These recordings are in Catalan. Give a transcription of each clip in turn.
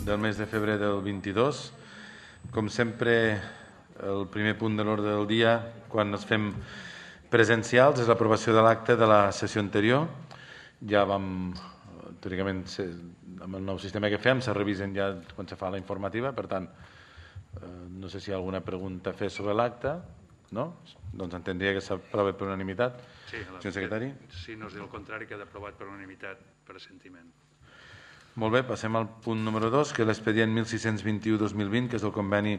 del mes de febrer del 22. Com sempre, el primer punt de l'ordre del dia, quan ens fem presencials, és l'aprovació de l'acte de la sessió anterior. Ja vam, teòricament, amb el nou sistema que fem, se revisen ja quan se fa la informativa, per tant, no sé si hi ha alguna pregunta a fer sobre l'acte. No? Doncs entendria que s'aprova per unanimitat. Sí, senyor secretari. Si no és el contrari, queda aprovat per unanimitat per assentiment. Molt bé, passem al punt número 2, que és l'expedient 1621-2020, que és el conveni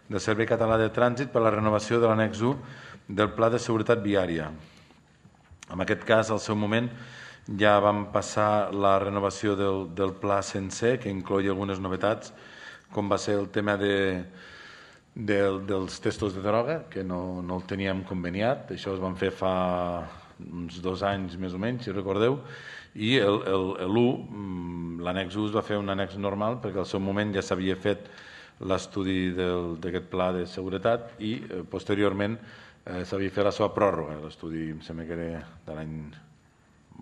del Servei Català de Trànsit per a la renovació de l'annex 1 del Pla de Seguretat Viària. En aquest cas, al seu moment, ja vam passar la renovació del pla sencer, que incloïa algunes novetats, com va ser el tema dels testos de droga, que no el teníem conveniat. Això es van fer fa uns 2 anys més o menys, si recordeu, i l'annex 1 es va fer un annex normal perquè al seu moment ja s'havia fet l'estudi d'aquest pla de seguretat i posteriorment s'havia fet la seva pròrroga. L'estudi em sembla que era de l'any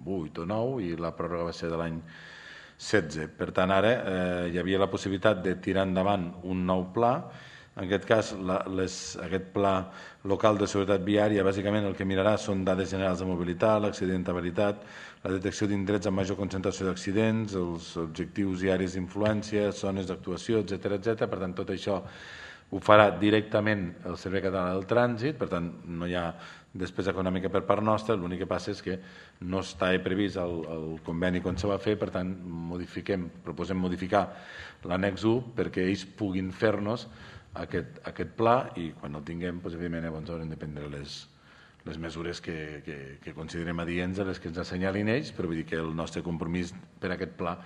8 o 9 i la pròrroga va ser de l'any 16. Per tant, ara hi havia la possibilitat de tirar endavant un nou pla. En aquest cas, aquest pla local de seguretat viària, bàsicament el que mirarà són dades generals de mobilitat, l'accidentabilitat, la detecció d'indrets amb major concentració d'accidents, els objectius i àrees d'influència, zones d'actuació, etc. Per tant, tot això ho farà directament el Servei Català del Trànsit, per tant, no hi ha despesa econòmica per part nostra, l'únic que passa és que no està previst el conveni quan se va fer, per tant, proposem modificar l'annex 1 perquè ells puguin fer-nos aquest pla i quan el tinguem, evidentment, llavors haurem de prendre les mesures que considerem adients a les que ens assenyalin ells, però vull dir que el nostre compromís per aquest pla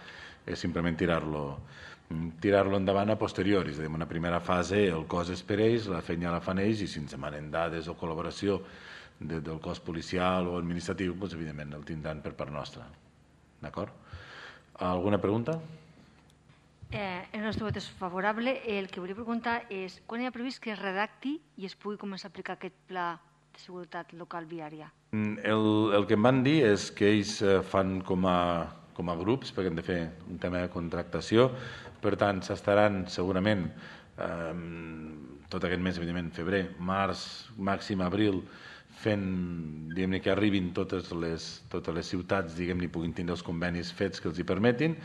és simplement tirar-lo endavant a posteriori. És a dir, en una primera fase el cos és per ells, la feina la fan ells i si ens demanen dades o col·laboració del cos policial o administratiu, evidentment el tindran per part nostra. D'acord? Alguna pregunta? El nostre vot és favorable. El que volia preguntar és quan hi ha previst que es redacti i es pugui començar a aplicar aquest pla de seguretat local viària? El que em van dir és que ells fan com a grups, perquè hem de fer un tema de contractació, per tant s'estaran segurament tot aquest mes, evidentment, febrer, març, màxim abril, fent, diguem-ne, que arribin totes les ciutats, diguem-ne, puguin tindre els convenis fets que els hi permetin,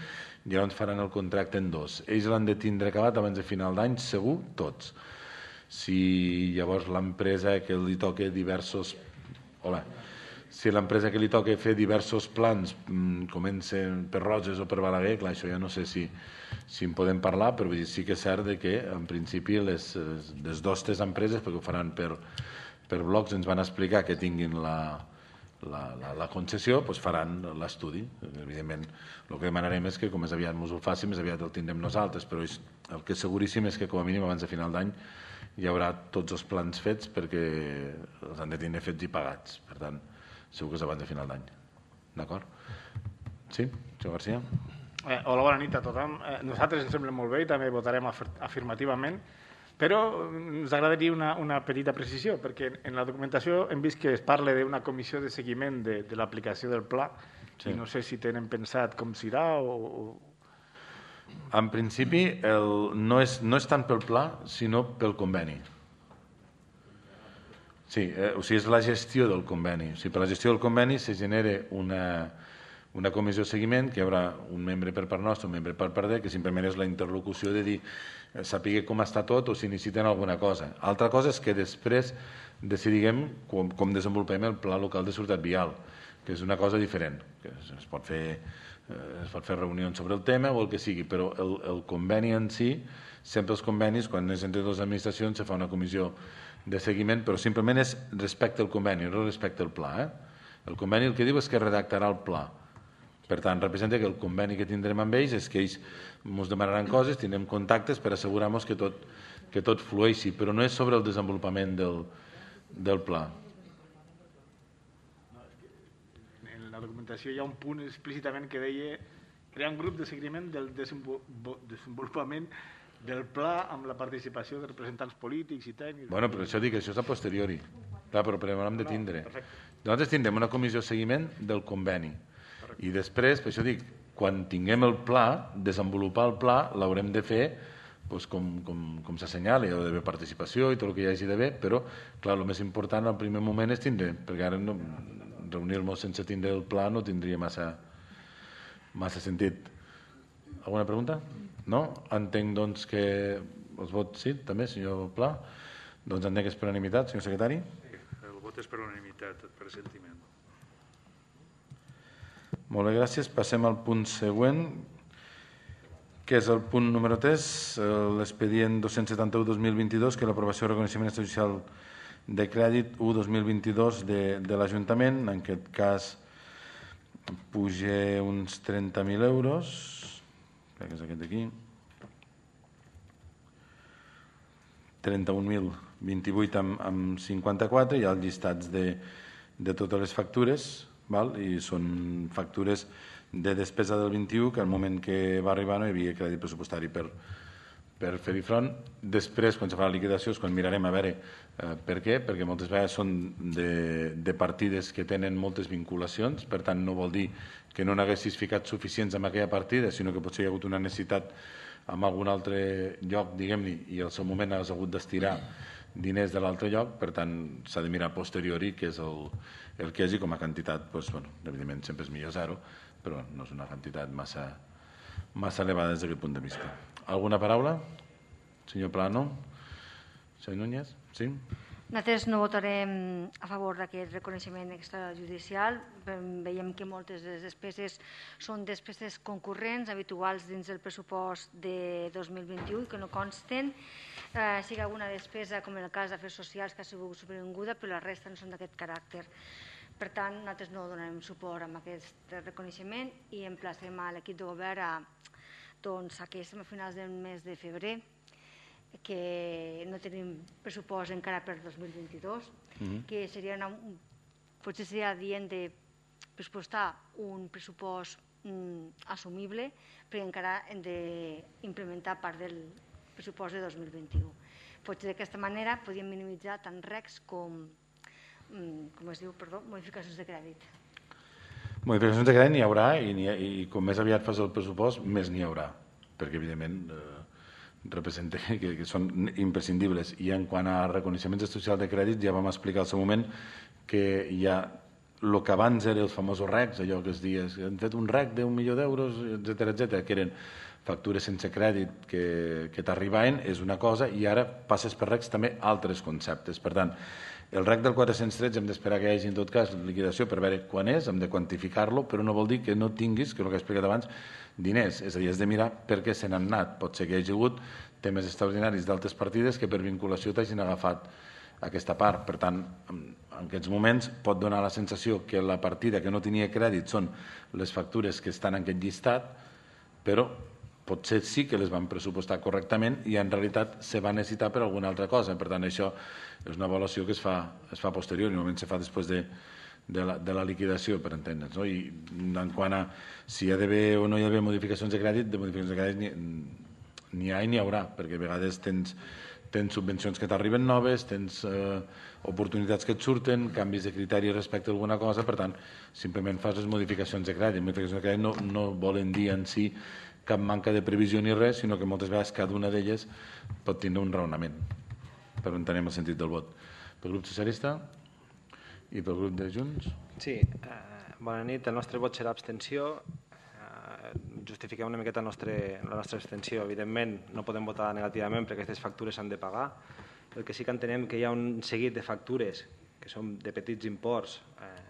i llavors faran el contracte en 2. Ells l'han de tindre acabat abans de final d'any, segur, tots. Si llavors l'empresa que li toca diversos... Si l'empresa que li toca fer diversos plans comencen per Roses o per Balaguer, clar, això ja no sé si en podem parlar, però sí que és cert que en principi les 2 o 3 empreses, perquè ho faran per blocs, ens van explicar que tinguin la concessió, doncs faran l'estudi. Evidentment, el que demanarem és que com més aviat ens ho faci, més aviat el tindrem nosaltres, però el que és seguríssim és que com a mínim abans de final d'any hi haurà tots els plans fets perquè els han de tenir fets i pagats. Per tant, segur que és abans de final d'any. D'acord? Sí? Senyor García? Hola, bona nit a tothom. Nosaltres ens sembla molt bé i també votarem afirmativament, però ens agradaria una petita precisió, perquè en la documentació hem vist que es parla d'una comissió de seguiment de l'aplicació del pla i no sé si tenen pensat com serà o... En principi, no és tant pel pla, sinó pel conveni. Sí, o sigui, és la gestió del conveni. O sigui, per la gestió del conveni se genera una comissió de seguiment que hi haurà un membre per part nostra, un membre per part d'ell, que simplement és la interlocució de dir saber com està tot o si necessiten alguna cosa. Altra cosa és que després decidim com desenvolupem el pla local de seguretat vial, que és una cosa diferent. Es pot fer reunions sobre el tema o el que sigui, però el conveni en si, sempre els convenis, quan és entre dues administracions, se fa una comissió de seguiment, però simplement és respecte al conveni, no respecte al pla. El conveni el que diu és que redactarà el pla. Per tant, representa que el conveni que tindrem amb ells és que ells ens demanaran coses, tindrem contactes per assegurar-nos que tot flueixi, però no és sobre el desenvolupament del pla. En la documentació hi ha un punt explícitament que deia crear un grup de seguiment del desenvolupament del pla amb la participació de representants polítics i tècnics. Bueno, però això dic, això és a posteriori. Clar, però primer hem de tindre. Nosaltres tindrem una comissió de seguiment del conveni. I després, per això dic, quan tinguem el pla, desenvolupar el pla, l'haurem de fer com s'assenyala, hi ha d'haver participació i tot el que hi hagi d'haver, però, clar, el més important al primer moment és tindre, perquè ara reunir-nos sense tindre el pla no tindria massa sentit. Alguna pregunta? No? Entenc, doncs, que els vots, sí, també, senyor Pla? Doncs entenc que és per unanimitat, senyor secretari? El vot és per unanimitat, per assentiment. Molt bé, gràcies. Passem al punt següent, que és el punt número 3, l'expedient 271-2022, que és l'aprovació de reconeixement extrajudicial de crèdit 1-2022 de l'Ajuntament. En aquest cas puja uns 30.000 euros, crec que és aquest d'aquí, 31.028 amb 54, hi ha els llistats de totes les factures, i són factures de despesa del 21, que al moment que va arribar no hi havia crèdit pressupostari per fer-hi front. Després, quan se fa la liquidació, és quan mirarem a veure per què, perquè moltes vegades són de partides que tenen moltes vinculacions, per tant no vol dir que no n'haguessis ficat suficients en aquella partida, sinó que potser hi ha hagut una necessitat en algun altre lloc, diguem-ne, i al seu moment has hagut d'estirar diners de l'altre lloc, per tant s'ha de mirar a posteriori què és el que hi hagi com a quantitat. Evidentment sempre és millor zero, però no és una quantitat massa elevada des d'aquest punt de vista. Alguna paraula? Senyor Plano? Senyor Núñez? Sí? Nosaltres no votarem a favor d'aquest reconeixement extrajudicial. Veiem que moltes de les despeses són despeses concurrents, habituals dins del pressupost de 2021, que no consten. Sí que alguna despesa, com en el cas d'afers socials, que ha sigut supervinguda, però la resta no són d'aquest caràcter. Per tant, nosaltres no donarem suport a aquest reconeixement i emplacem a l'equip de govern que estem a finals del mes de febrer, que no tenim pressupost encara per 2022, que potser seria adient de pressupostar un pressupost assumible, perquè encara hem d'implementar part del pressupost de 2021. Potser d'aquesta manera podríem minimitzar tant recs com modificacions de crèdit. Modificacions de crèdit n'hi haurà i com més aviat fas el pressupost, més n'hi haurà, perquè evidentment representa que són imprescindibles. I en quant a reconeixements socials de crèdit, ja vam explicar al seu moment que hi ha el que abans eren els famosos recs, allò que es dia, han fet un rec d'1 milió d'euros, etcètera, que eren factures sense crèdit que t'arribaven, és una cosa, i ara passes per recs també altres conceptes. Per tant, el rec del 413 hem d'esperar que hi hagi en tot cas liquidació per veure quan és, hem de quantificar-lo, però no vol dir que no tinguis, que és el que he explicat abans, diners. És a dir, has de mirar per què se n'han anat. Pot ser que hi hagi hagut temes extraordinaris d'altres partides que per vinculació t'hagin agafat aquesta part. Per tant, en aquests moments pot donar la sensació que la partida que no tenia crèdit són les factures que estan en aquest llistat, però potser sí que les van pressupostar correctament i en realitat se va necessitar per alguna altra cosa. Per tant, això és una avaluació que es fa posterior, i normalment se fa després de la liquidació, per entendre'ns. I en quant a si hi ha d'haver o no hi ha d'haver modificacions de crèdit, n'hi ha i n'hi haurà, perquè a vegades tens subvencions que t'arriben noves, tens oportunitats que et surten, canvis de criteri respecte a alguna cosa, per tant, simplement fas les modificacions de crèdit. Modificacions de crèdit no volen dir en si cap manca de previsió ni res, sinó que moltes vegades cada una d'elles pot tindre un raonament, però entenem el sentit del vot. Pel grup socialista i pel grup de Junts? Sí, bona nit. El nostre vot serà abstenció. Justifiquem una miqueta la nostra abstenció. Evidentment, no podem votar negativament perquè aquestes factures s'han de pagar. El que sí que entenem que hi ha un seguit de factures que són de petits imports,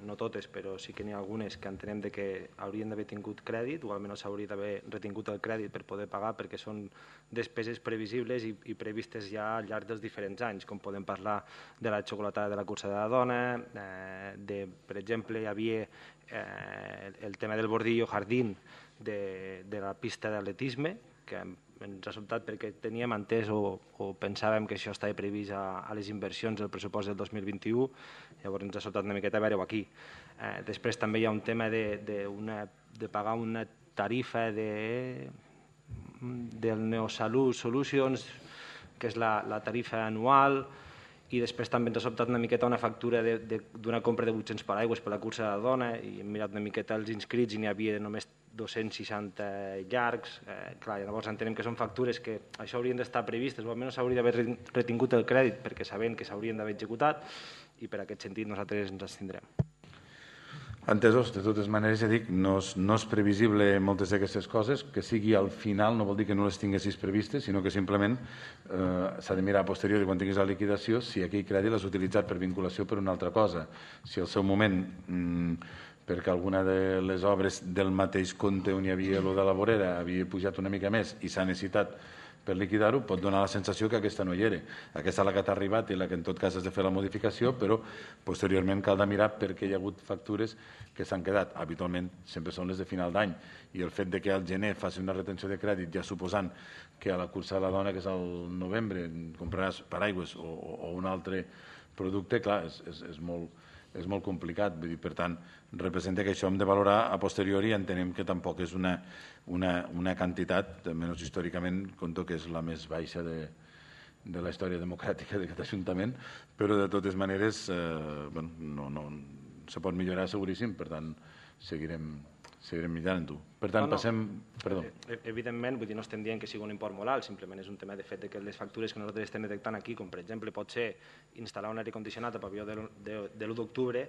no totes, però sí que n'hi ha algunes que entenem que haurien d'haver tingut crèdit, o almenys s'hauria d'haver retingut el crèdit per poder pagar, perquè són despeses previsibles i previstes ja al llarg dels diferents anys, com podem parlar de la xocolatada de la cursa de la dona, per exemple, hi havia el tema del bordillo jardín de la pista d'atletisme, que ens ha sobtat perquè teníem entès o pensàvem que això estava previst a les inversions del pressupost del 2021, llavors ens ha sobtat una miqueta a veure-ho aquí. Després també hi ha un tema de pagar una tarifa del Neosalut Solutions, que és la tarifa anual, i després també ens ha sobtat una miqueta una factura d'una compra de 800 paraigües per la cursa de la dona, i hem mirat una miqueta els inscrits i n'hi havia només 260 llargs. Clar, llavors entenem que són factures que això haurien d'estar previstes, o almenys s'hauria d'haver retingut el crèdit perquè sabem que s'haurien d'haver executat, i per aquest sentit nosaltres ens abstindrem. Entesos, de totes maneres, ja dic, no és previsible moltes d'aquestes coses, que sigui al final no vol dir que no les tinguessis previstes, sinó que simplement s'ha de mirar a posteriori quan tinguis la liquidació si aquell crèdit l'has utilitzat per vinculació per una altra cosa. Si al seu moment, perquè alguna de les obres del mateix compte on hi havia lo de la vorera havia pujat una mica més i s'ha necessitat per liquidar-ho, pot donar la sensació que aquesta no hi era. Aquesta és la que t'ha arribat i la que en tot cas has de fer la modificació, però posteriorment cal de mirar perquè hi ha hagut factures que s'han quedat. Habitualment sempre són les de final d'any, i el fet de que al gener faci una retenció de crèdit, ja suposant que a la cursa de la dona, que és al novembre, compraràs paraigües o un altre producte, clar, és molt complicat. Vull dir, per tant, representa que això hem de valorar a posteriori i entenem que tampoc és una quantitat, almenys històricament, compto que és la més baixa de la història democràtica d'aquest Ajuntament, però de totes maneres se pot millorar seguríssim, per tant seguirem millorant-ho. Per tant, passem... Perdó. Evidentment, vull dir, no estem dient que sigui un import molt alt, simplement és un tema de fet que les factures que nosaltres estem detectant aquí, com per exemple pot ser instal·lar un aire condicionat a pavelló de l'1 d'octubre,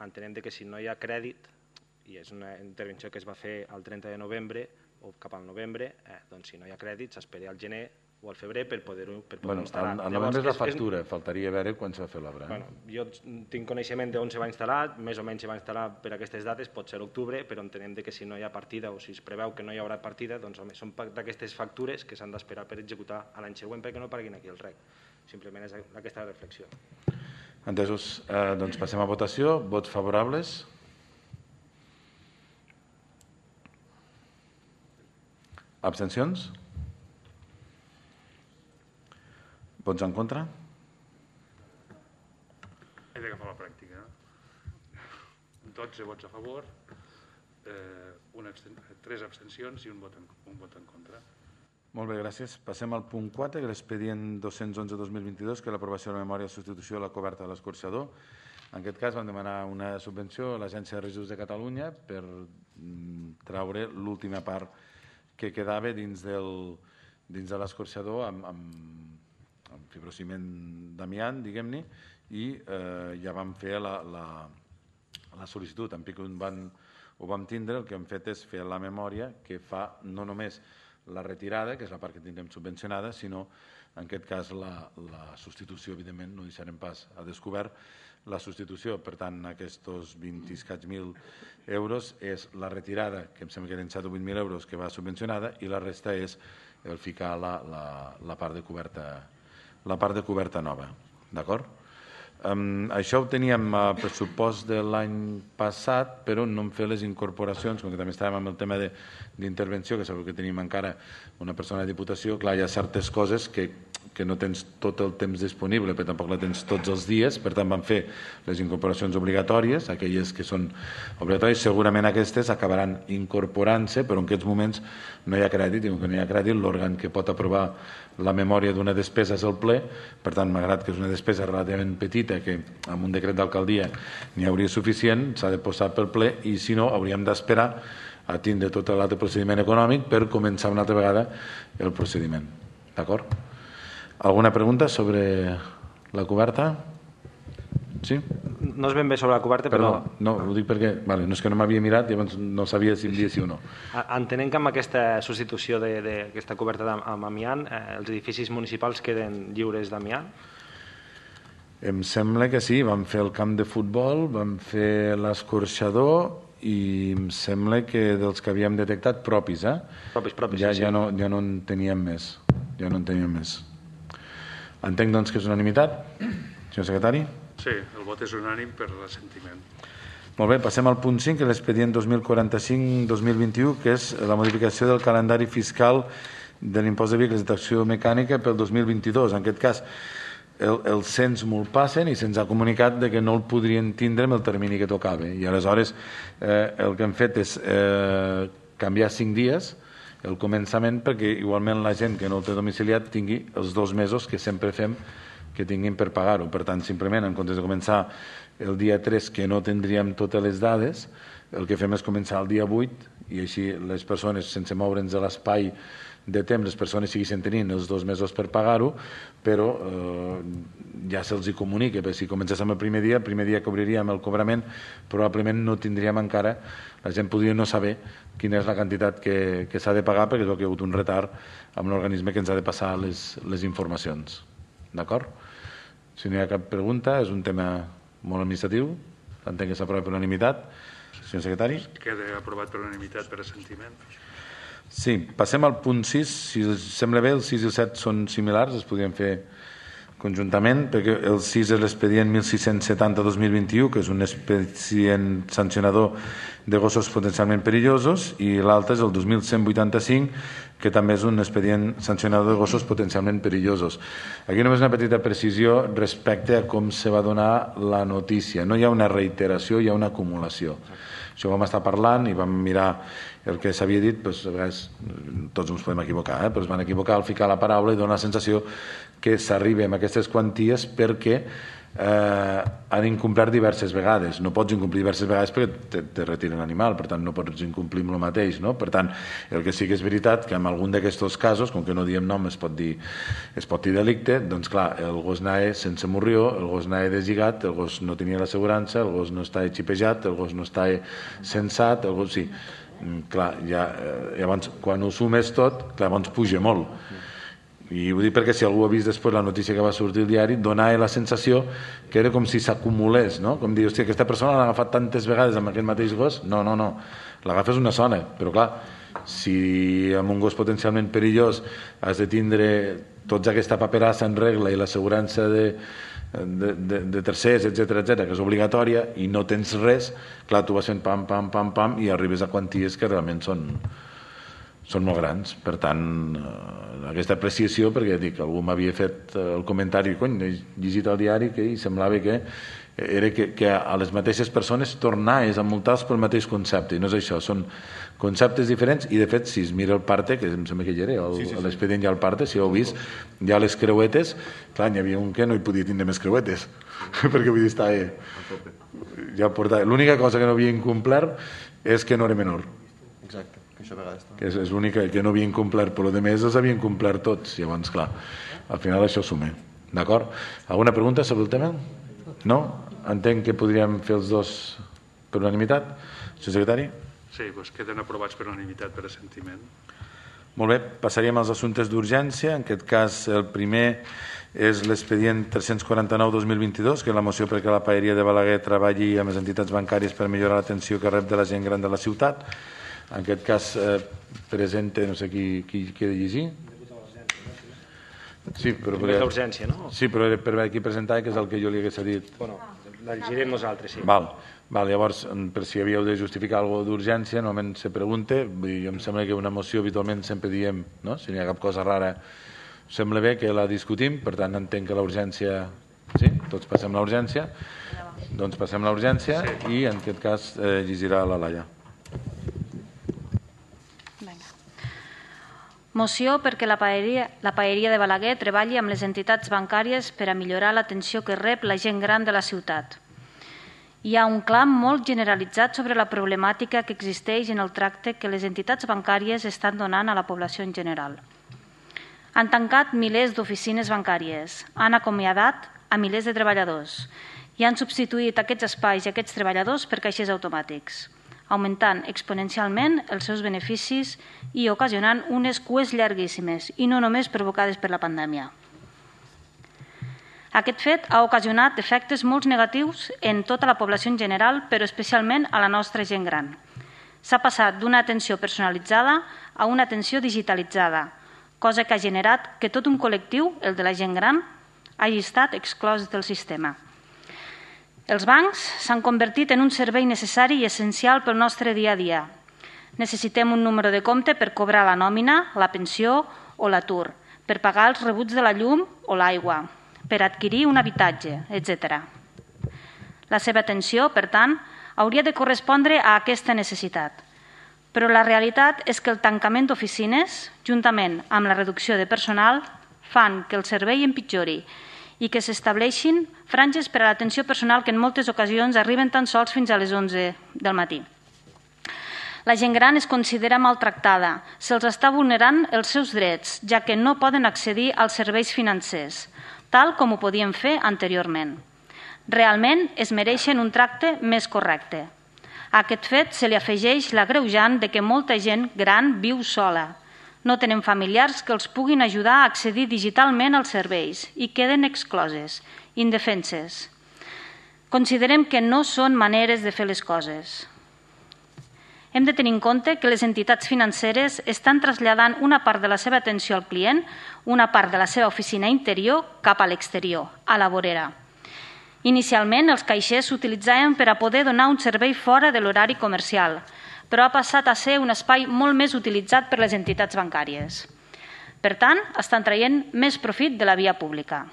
entenem que si no hi ha crèdit, i és una intervenció que es va fer el 30 de novembre o cap al novembre, doncs si no hi ha crèdit s'espera al gener o al febrer per poder-ho instal·lar. Al novembre és la factura, faltaria veure quan s'ha fet l'obra. Jo tinc coneixement d'on se va instal·lar, més o menys se va instal·lar per aquestes dates, pot ser l'octubre, però entenem que si no hi ha partida o si es preveu que no hi haurà partida, doncs són d'aquestes factures que s'han d'esperar per executar a l'any següent perquè no paguin aquí el REC. Simplement és aquesta reflexió. Entesos, doncs passem a votació. Vots favorables? Abstencions? Vots en contra? He d'agafar la pràctica. 12 vots a favor, 3 abstencions i un vot en contra. Molt bé, gràcies. Passem al punt 4, que és l'expedient 211-2022, que és l'aprovació de la memòria de substitució de la coberta de l'escorxador. En aquest cas vam demanar una subvenció a l'Agència de Residus de Catalunya per traure l'última part que quedava dins de l'escorxador amb fibrociment d'amiant, diguem-ne, i ja vam fer la sol·licitud. En pic ho vam tindre, el que hem fet és fer la memòria que fa no només la retirada, que és la part que tindrem subvencionada, sinó, en aquest cas, la substitució, evidentment, no deixarem pas a descobert, la substitució. Per tant, aquests 20 i escaig mil euros és la retirada, que em sembla que eren 7 o 8.000 euros, que va subvencionada, i la resta és el ficar la part de coberta nova. D'acord? Això ho teníem a pressupost de l'any passat, però no hem fet les incorporacions, com que també estàvem amb el tema d'intervenció, que sabeu que tenim encara una persona de Diputació. Clar, hi ha certes coses que no tens tot el temps disponible, però tampoc la tens tots els dies, per tant vam fer les incorporacions obligatòries, aquelles que són obligatòries. Segurament aquestes acabaran incorporant-se, però en aquests moments no hi ha crèdit, i com que no hi ha crèdit, l'òrgan que pot aprovar la memòria d'una despesa és el ple. Per tant, malgrat que és una despesa relativament petita, que amb un decret d'alcaldia n'hi hauria suficient, s'ha de posar pel ple, i si no hauríem d'esperar a tindre tot l'altre procediment econòmic per començar una altra vegada el procediment. D'acord? Alguna pregunta sobre la coberta? Sí? No és ben bé sobre la coberta, però... No, ho dic perquè no és que no m'havia mirat i llavors no sabia si em dia sí o no. Entenem que amb aquesta substitució d'aquesta coberta amb amiant, els edificis municipals queden lliures d'amiant? Em sembla que sí, vam fer el camp de futbol, vam fer l'escorxador i em sembla que dels que havíem detectat propis, Propis, sí. Ja no en teníem més. Entenc, doncs, que és unanimitat, senyor secretari? Sí, el vot és unànim per l'assentiment. Molt bé, passem al punt 5, que és l'expedient 2045-2021, que és la modificació del calendari fiscal de l'impost de vehicles de tracció mecànica pel 2022. En aquest cas, el cens m'ho passen i se'ns ha comunicat que no el podrien tindre en el termini que tocava. I aleshores el que hem fet és canviar 5 dies el començament perquè igualment la gent que no el té domiciliat tingui els 2 mesos que sempre fem que tinguin per pagar-ho. Per tant, simplement, en comptes de començar el dia 3, que no tindríem totes les dades, el que fem és començar el dia 8 i així les persones, sense moure'ns de l'espai de temps, les persones segueixen tenint els 2 mesos per pagar-ho, però ja se'ls hi comunica, perquè si comencéssim el primer dia que obriríem el cobrament, probablement no tindríem encara, la gent podria no saber quina és la quantitat que s'ha de pagar, perquè és que hi ha hagut un retard amb l'organisme que ens ha de passar les informacions. D'acord? Si no hi ha cap pregunta, és un tema molt administratiu, entenc que s'aprova per unanimitat. Senyor secretari? Queda aprovat per unanimitat per assentiment. Sí, passem al punt 6. Si us sembla bé, el 6 i el 7 són similars, es podrien fer conjuntament, perquè el 6 és l'expedient 1670-2021, que és un expedient sancionador de gossos potencialment perillosos, i l'altre és el 2185, que també és un expedient sancionador de gossos potencialment perillosos. Aquí només una petita precisió respecte a com se va donar la notícia. No hi ha una reiteració, hi ha una acumulació. Això ho vam estar parlant i vam mirar el que s'havia dit, doncs, a vegades tots ens podem equivocar, però es van equivocar al ficar la paraula i dona la sensació que s'arriba a aquestes quanties perquè han incomplert diverses vegades. No pots incomplir diverses vegades perquè te retiren l'animal, per tant no pots incomplir amb el mateix. No? Per tant, el que sí que és veritat que en algun d'aquests casos, com que no diem nom, es pot dir delicte, doncs clar, el gos anava sense morrió, el gos anava deslligat, el gos no tenia l'assegurança, el gos no estava xipejat, el gos no estava censat, el gos sí. Clar, llavors quan ho sumes tot, llavors puja molt. I ho dic perquè si algú ha vist després la notícia que va sortir al diari, donava la sensació que era com si s'acumulés, no? Com dir, hòstia, aquesta persona l'ha agafat tantes vegades amb aquest mateix gos. No, l'agafes una zona, però clar, si amb un gos potencialment perillós has de tindre tota aquesta paperassa en regla i l'assegurança de tercers, etc, que és obligatòria, i no tens res, clar, tu vas fent pam, i arribes a quanties que realment són molt grans. Per tant, aquesta apreciació, perquè dic, algú m'havia fet el comentari, cony, he llegit el diari que semblava que era que a les mateixes persones tornaves a multar pel mateix concepte, i no és això, són conceptes diferents, i de fet, si es mira el parte, que em sembla que hi era, l'expedient ja el parte, si ho heu vist, ja les creuetes, clar, n'hi havia un que no hi podia tindre més creuetes, perquè vull dir, estava ja portava. L'única cosa que no havia incomplert és que no era menor. Exacte. Que és l'única que no havien complert, però de més els havien complert tots, llavors clar, al final això suma. D'acord? Alguna pregunta sobre el tema? No? Entenc que podríem fer els dos per unanimitat. Senyor secretari? Sí, doncs queden aprovats per unanimitat per assentiment. Molt bé, passaríem als assumptes d'urgència. En aquest cas, el primer és l'expedient 349-2022, que és la moció perquè la paeria de Balaguer treballi amb les entitats bancàries per millorar l'atenció que rep de la gent gran de la ciutat. En aquest cas presenta, no sé qui ha de llegir. Sí, però l'urgència, no? Sí, però per aquí presentava, que és el que jo li hagués dit. Bueno, la llegirem nosaltres, sí. Val, llavors, per si havíeu de justificar alguna cosa d'urgència, normalment se pregunta. Jo em sembla que una moció habitualment sempre diem, no? Si no hi ha cap cosa rara, sembla bé que la discutim, per tant entenc que la urgència... Sí? Tots passem la urgència? Doncs passem la urgència i en aquest cas llegirà la Laia. Moció perquè la paeria de Balaguer treballi amb les entitats bancàries per a millorar l'atenció que rep la gent gran de la ciutat. Hi ha un clam molt generalitzat sobre la problemàtica que existeix en el tracte que les entitats bancàries estan donant a la població en general. Han tancat milers d'oficines bancàries, han acomiadat a milers de treballadors i han substituït aquests espais i aquests treballadors per caixers automàtics, augmentant exponencialment els seus beneficis i ocasionant unes cues llarguíssimes, i no només provocades per la pandèmia. Aquest fet ha ocasionat efectes molt negatius en tota la població en general, però especialment a la nostra gent gran. S'ha passat d'una atenció personalitzada a una atenció digitalitzada, cosa que ha generat que tot un col·lectiu, el de la gent gran, hagi estat exclòs del sistema. Els bancs s'han convertit en un servei necessari i essencial pel nostre dia a dia. Necessitem un número de compte per cobrar la nòmina, la pensió o l'atur, per pagar els rebuts de la llum o l'aigua, per adquirir un habitatge, etc. La seva atenció, per tant, hauria de correspondre a aquesta necessitat. Però la realitat és que el tancament d'oficines, juntament amb la reducció de personal, fan que el servei empitjori i que s'estableixin franges per a l'atenció personal que en moltes ocasions arriben tan sols fins a les 11 del matí. La gent gran es considera maltractada, se'ls està vulnerant els seus drets, ja que no poden accedir als serveis financers, tal com ho podien fer anteriorment. Realment es mereixen un tracte més correcte. A aquest fet se li afegeix l'agreujant de que molta gent gran viu sola. No tenen familiars que els puguin ajudar a accedir digitalment als serveis i queden excloses, indefenses. Considerem que no són maneres de fer les coses. Hem de tenir en compte que les entitats financeres estan traslladant una part de la seva atenció al client, una part de la seva oficina interior, cap a l'exterior, a la vorera. Inicialment, els caixers s'utilitzaven per a poder donar un servei fora de l'horari comercial, però ha passat a ser un espai molt més utilitzat per les entitats bancàries. Per tant, estan traient més profit de la via pública.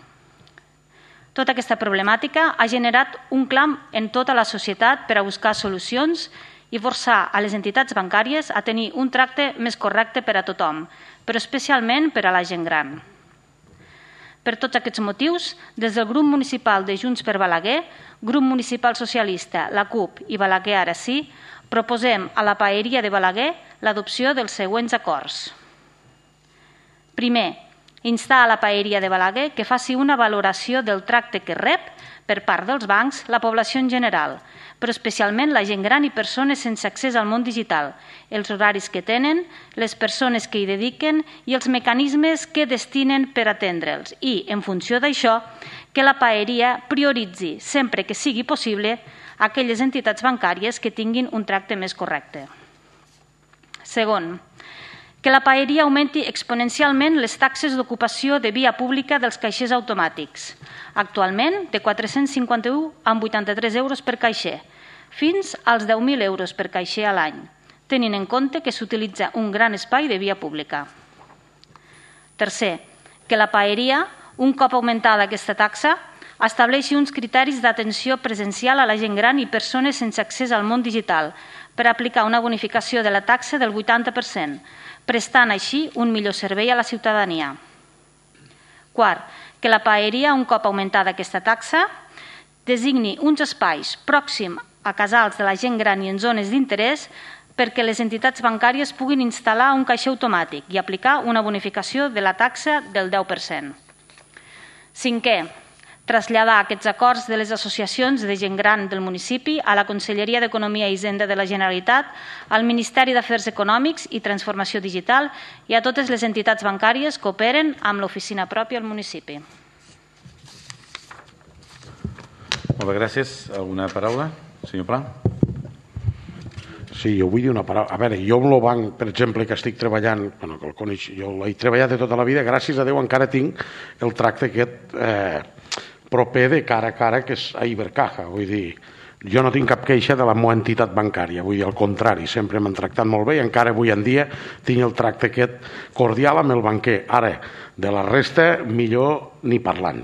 Tota aquesta problemàtica ha generat un clam en tota la societat per a buscar solucions i forçar a les entitats bancàries a tenir un tracte més correcte per a tothom, però especialment per a la gent gran. Per tots aquests motius, des del grup municipal de Junts per Balaguer, grup municipal socialista, la CUP i Balaguer Ara Sí, proposem a la Paeria de Balaguer l'adopció dels següents acords. Primer, instar a la Paeria de Balaguer que faci una valoració del tracte que rep per part dels bancs la població en general, però especialment la gent gran i persones sense accés al món digital, els horaris que tenen, les persones que hi dediquen i els mecanismes que destinen per atendre'ls i, en funció d'això, que la Paeria prioritzi, sempre que sigui possible, aquelles entitats bancàries que tinguin un tracte més correcte. Segon, que la Paeria augmenti exponencialment les taxes d'ocupació de via pública dels caixers automàtics, actualment de 451 a 83 euros per caixer, fins als 10.000 euros per caixer a l'any, tenint en compte que s'utilitza un gran espai de via pública. Tercer, que la Paeria, un cop augmentada aquesta taxa, estableixi uns criteris d'atenció presencial a la gent gran i persones sense accés al món digital per aplicar una bonificació de la taxa del 80%, prestant així un millor servei a la ciutadania. Quart, que la Paeria, un cop augmentada aquesta taxa, designi uns espais pròxims a casals de la gent gran i en zones d'interès perquè les entitats bancàries puguin instal·lar un caixer automàtic i aplicar una bonificació de la taxa del 10%. Cinquè, traslladar aquests acords de les associacions de gent gran del municipi a la Conselleria d'Economia i Hisenda de la Generalitat, al Ministeri d'Afers Econòmics i Transformació Digital i a totes les entitats bancàries que operen amb l'oficina pròpia al municipi. Molt bé, gràcies. Alguna paraula? Senyor Pla? Sí, jo vull dir una paraula. A veure, jo amb el banc, per exemple, que estic treballant, bueno, que el coneix, jo l'he treballat de tota la vida, gràcies a Déu encara tinc el tracte aquest proper de cara a cara, que és a Ibercaja. Vull dir, jo no tinc cap queixa de la meva entitat bancària, vull dir, al contrari, sempre m'han tractat molt bé i encara avui en dia tinc el tracte aquest cordial amb el banquer. Ara, de la resta, millor ni parlant.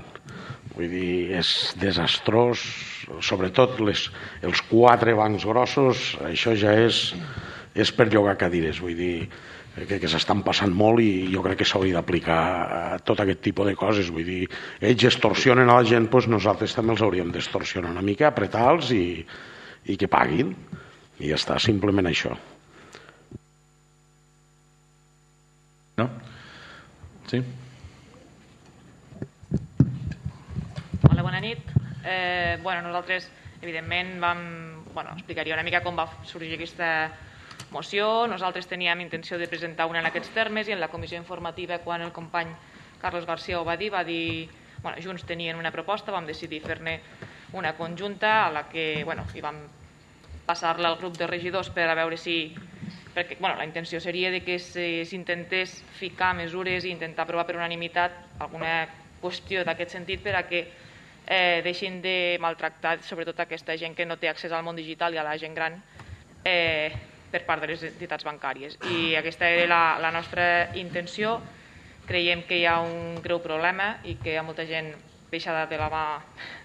Vull dir, és desastrós, sobretot els 4 bancs grossos, això ja és per llogar cadires, vull dir, que s'estan passant molt i jo crec que s'hauria d'aplicar tot aquest tipus de coses, vull dir, ells extorsionen a la gent, doncs nosaltres també els hauríem d'extorsionar una mica, apretar-los i que paguin, i ja està, simplement això. No? Sí? Hola, bona nit. Nosaltres, evidentment, explicaria una mica com va sorgir aquesta moció. Nosaltres teníem intenció de presentar una en aquests termes i en la comissió informativa, quan el company Carlos García ho va dir, Junts tenien una proposta, vam decidir fer-ne una conjunta a la que hi vam passar-la al grup de regidors per a veure si... Perquè la intenció seria que s'intentés ficar mesures i intentar aprovar per unanimitat alguna qüestió d'aquest sentit per a que deixin de maltractar sobretot aquesta gent que no té accés al món digital i a la gent gran per part de les entitats bancàries. I aquesta era la nostra intenció. Creiem que hi ha un greu problema i que hi ha molta gent deixada de la mà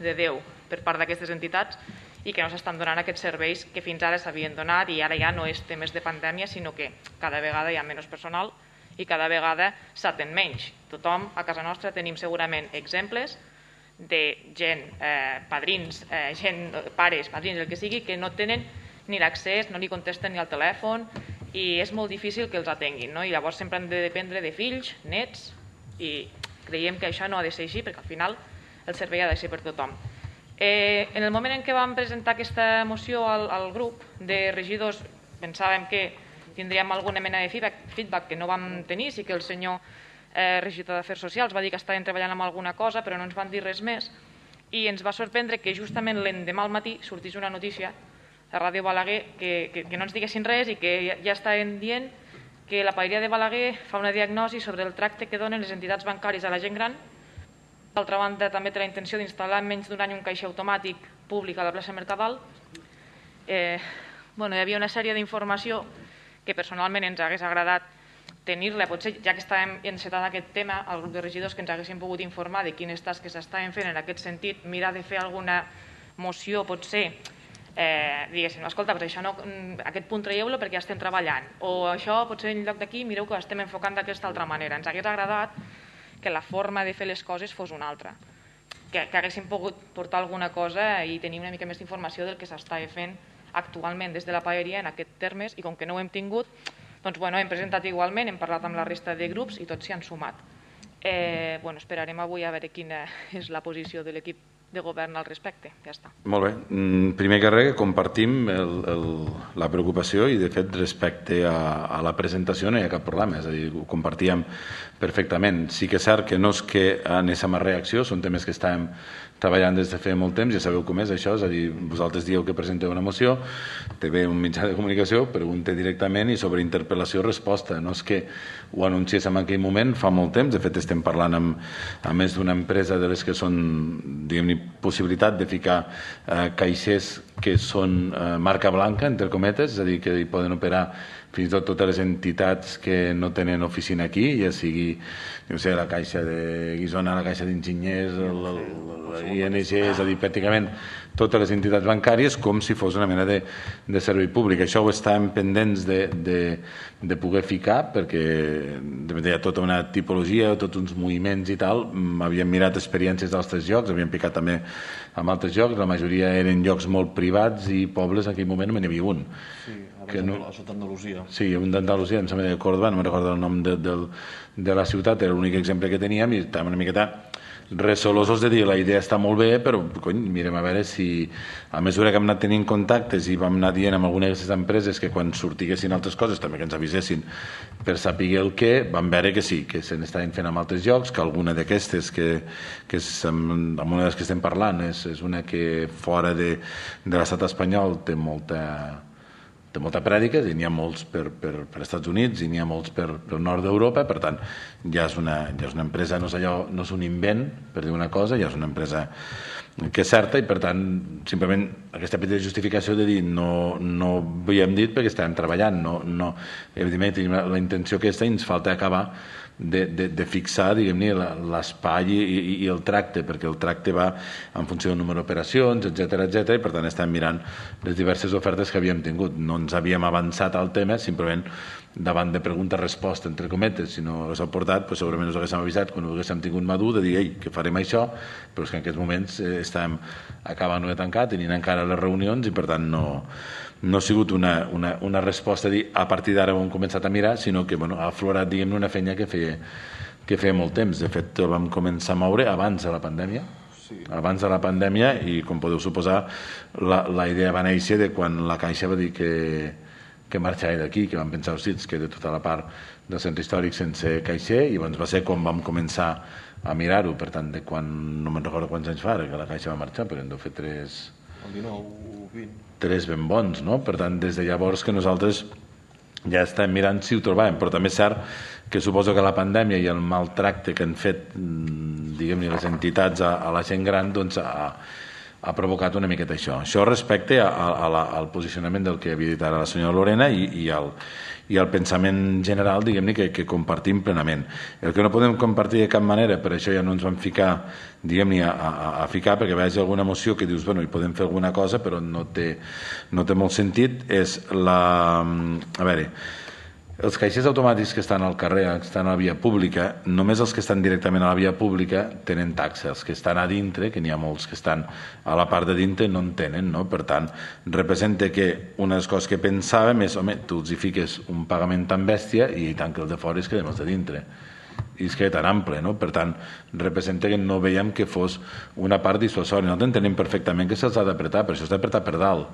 de Déu per part d'aquestes entitats i que no s'estan donant aquests serveis que fins ara s'havien donat, i ara ja no és temes de pandèmia, sinó que cada vegada hi ha menys personal i cada vegada s'atén menys. Tothom a casa nostra tenim segurament exemples de gent, padrins, pares, padrins, el que sigui, que no tenen ni l'accés, no li contesten ni al telèfon i és molt difícil que els atenguin, no? I llavors sempre han de dependre de fills, nets, i creiem que això no ha de ser així perquè al final el servei ha de ser per tothom. En el moment en què vam presentar aquesta moció al grup de regidors pensàvem que tindríem alguna mena de feedback que no vam tenir, sí que el senyor regidor d'Afers Socials va dir que estaven treballant amb alguna cosa però no ens van dir res més i ens va sorprendre que justament l'endemà al matí sortís una notícia a Ràdio Balaguer que no ens diguessin res i que ja estaven dient que la paeria de Balaguer fa una diagnosi sobre el tracte que donen les entitats bancàries a la gent gran. D'altra banda, també té la intenció d'instal·lar en menys d'un any un caixer automàtic públic a la plaça Mercadal. Hi havia una sèrie d'informació que personalment ens hagués agradat tenir-la, potser ja que estàvem encetant aquest tema, al grup de regidors que ens haguessin pogut informar de quines tasques s'estaven fent en aquest sentit, mirar de fer alguna moció, potser, diguéssim, escolta, però això no, aquest punt traieu-lo perquè ja estem treballant, o això potser en lloc d'aquí mireu que estem enfocant d'aquesta altra manera. Ens hagués agradat que la forma de fer les coses fos una altra, que haguéssim pogut portar alguna cosa i tenir una mica més d'informació del que s'estava fent actualment des de la paeria en aquests termes i com que no ho hem tingut, doncs hem presentat igualment, hem parlat amb la resta de grups i tots s'hi han sumat. Esperarem avui a veure quina és la posició de l'equip de govern al respecte. Ja està. Molt bé. Primer que res, compartim la preocupació i, de fet, respecte a la presentació no hi ha cap problema, és a dir, ho compartíem perfectament. Sí que és cert que no és que anéssim a reacció, són temes que estàvem treballant des de fa molt temps, ja sabeu com és això, és a dir, vosaltres dieu que presenteu una moció, te ve un mitjà de comunicació, pregunta directament i sobre interpel·lació resposta. No és que ho anunciéssim en aquell moment, fa molt temps, de fet estem parlant amb més d'una empresa de les que són, diguem-ne, possibilitat de ficar caixers que són marca blanca, entre cometes, és a dir, que hi poden operar fins i tot totes les entitats que no tenen oficina aquí, ja sigui la Caixa de Guissona, la Caixa d'Enginyers, l'ING, és a dir, pràcticament totes les entitats bancàries com si fos una mena de servei públic. Això ho estàvem pendents de poder ficar perquè hi ha tota una tipologia, tots uns moviments i tal. Havíem mirat experiències d'altres llocs, havíem picat també en altres llocs, la majoria eren llocs molt privats i pobles, en aquell moment no n'hi havia un. Sí, a sota Andalusia. Sí, un d'Andalusia, em sembla de Córdoba, no me'n recordo el nom de la ciutat, era l'únic exemple que teníem i estàvem una miqueta resolosos de dir la idea està molt bé, però mirem a veure si a mesura que hem anat tenint contactes i vam anar dient amb algunes d'aquestes empreses que quan sortiguessin altres coses també que ens avisessin per saber el què, vam veure que sí, que se n'estaven fent amb altres llocs, que alguna d'aquestes amb una de les que estem parlant és una que fora de l'estat espanyol té molta prèdica, i n'hi ha molts per Estats Units i n'hi ha molts per nord d'Europa, per tant ja és una empresa, no és un invent per dir una cosa, ja és una empresa que és certa i per tant simplement aquesta petita justificació de dir no havíem dit perquè estàvem treballant, evidentment tenim la intenció aquesta i ens falta acabar de fixar, diguem-ne, l'espai i el tracte, perquè el tracte va en funció del número d'operacions, etc, i per tant estem mirant les diverses ofertes que havíem tingut. No ens havíem avançat al tema, simplement davant de pregunta-resposta, entre cometes, si no s'ha portat, segurament us haguéssim avisat quan ho haguéssim tingut madur de dir, ei, que farem això, però és que en aquests moments estem acabant de tancar, tenint encara les reunions i per tant no ha sigut una resposta a dir a partir d'ara ho hem començat a mirar, sinó que ha aflorat, diguem-ne, una feina que feia molt temps. De fet, el vam començar a moure abans de la pandèmia. Sí. Abans de la pandèmia i, com podeu suposar, la idea va néixer de quan la Caixa va dir que marxava d'aquí, que vam pensar, hosti, que de tota la part del centre històric sense caixer, i llavors va ser quan vam començar a mirar-ho. Per tant, de quan, no me'n recordo quants anys fa que la Caixa va marxar, però en deu fer 3... El 19 o 20. 3 ben bons, no? Per tant, des de llavors que nosaltres ja estem mirant si ho trobàvem, però també és cert que suposo que la pandèmia i el maltracte que han fet, diguem-ne, les entitats a la gent gran, doncs ha provocat una miqueta això. Això respecte al posicionament del que havia dit ara la senyora Lorena i al pensament general, diguem-ne, que compartim plenament. El que no podem compartir de cap manera, per això ja no ens vam ficar, diguem-ne, a ficar, perquè vegi alguna moció que dius, bueno, hi podem fer alguna cosa, però no té molt sentit, és a veure, Els caixers automàtics que estan al carrer, que estan a la via pública, només els que estan directament a la via pública tenen taxa. Els que estan a dintre, que n'hi ha molts que estan a la part de dintre, no en tenen, no? Per tant, representa que una de les coses que pensàvem és, home, tu els hi fiques un pagament tan bèstia i tant que el de fora es quedem els de dintre. I es queda tan ample, no? Per tant, representa que no veiem que fos una part dissuasòria. Nosaltres entenem perfectament que se'ls ha d'apretar, però això s'ha d'apretar per dalt.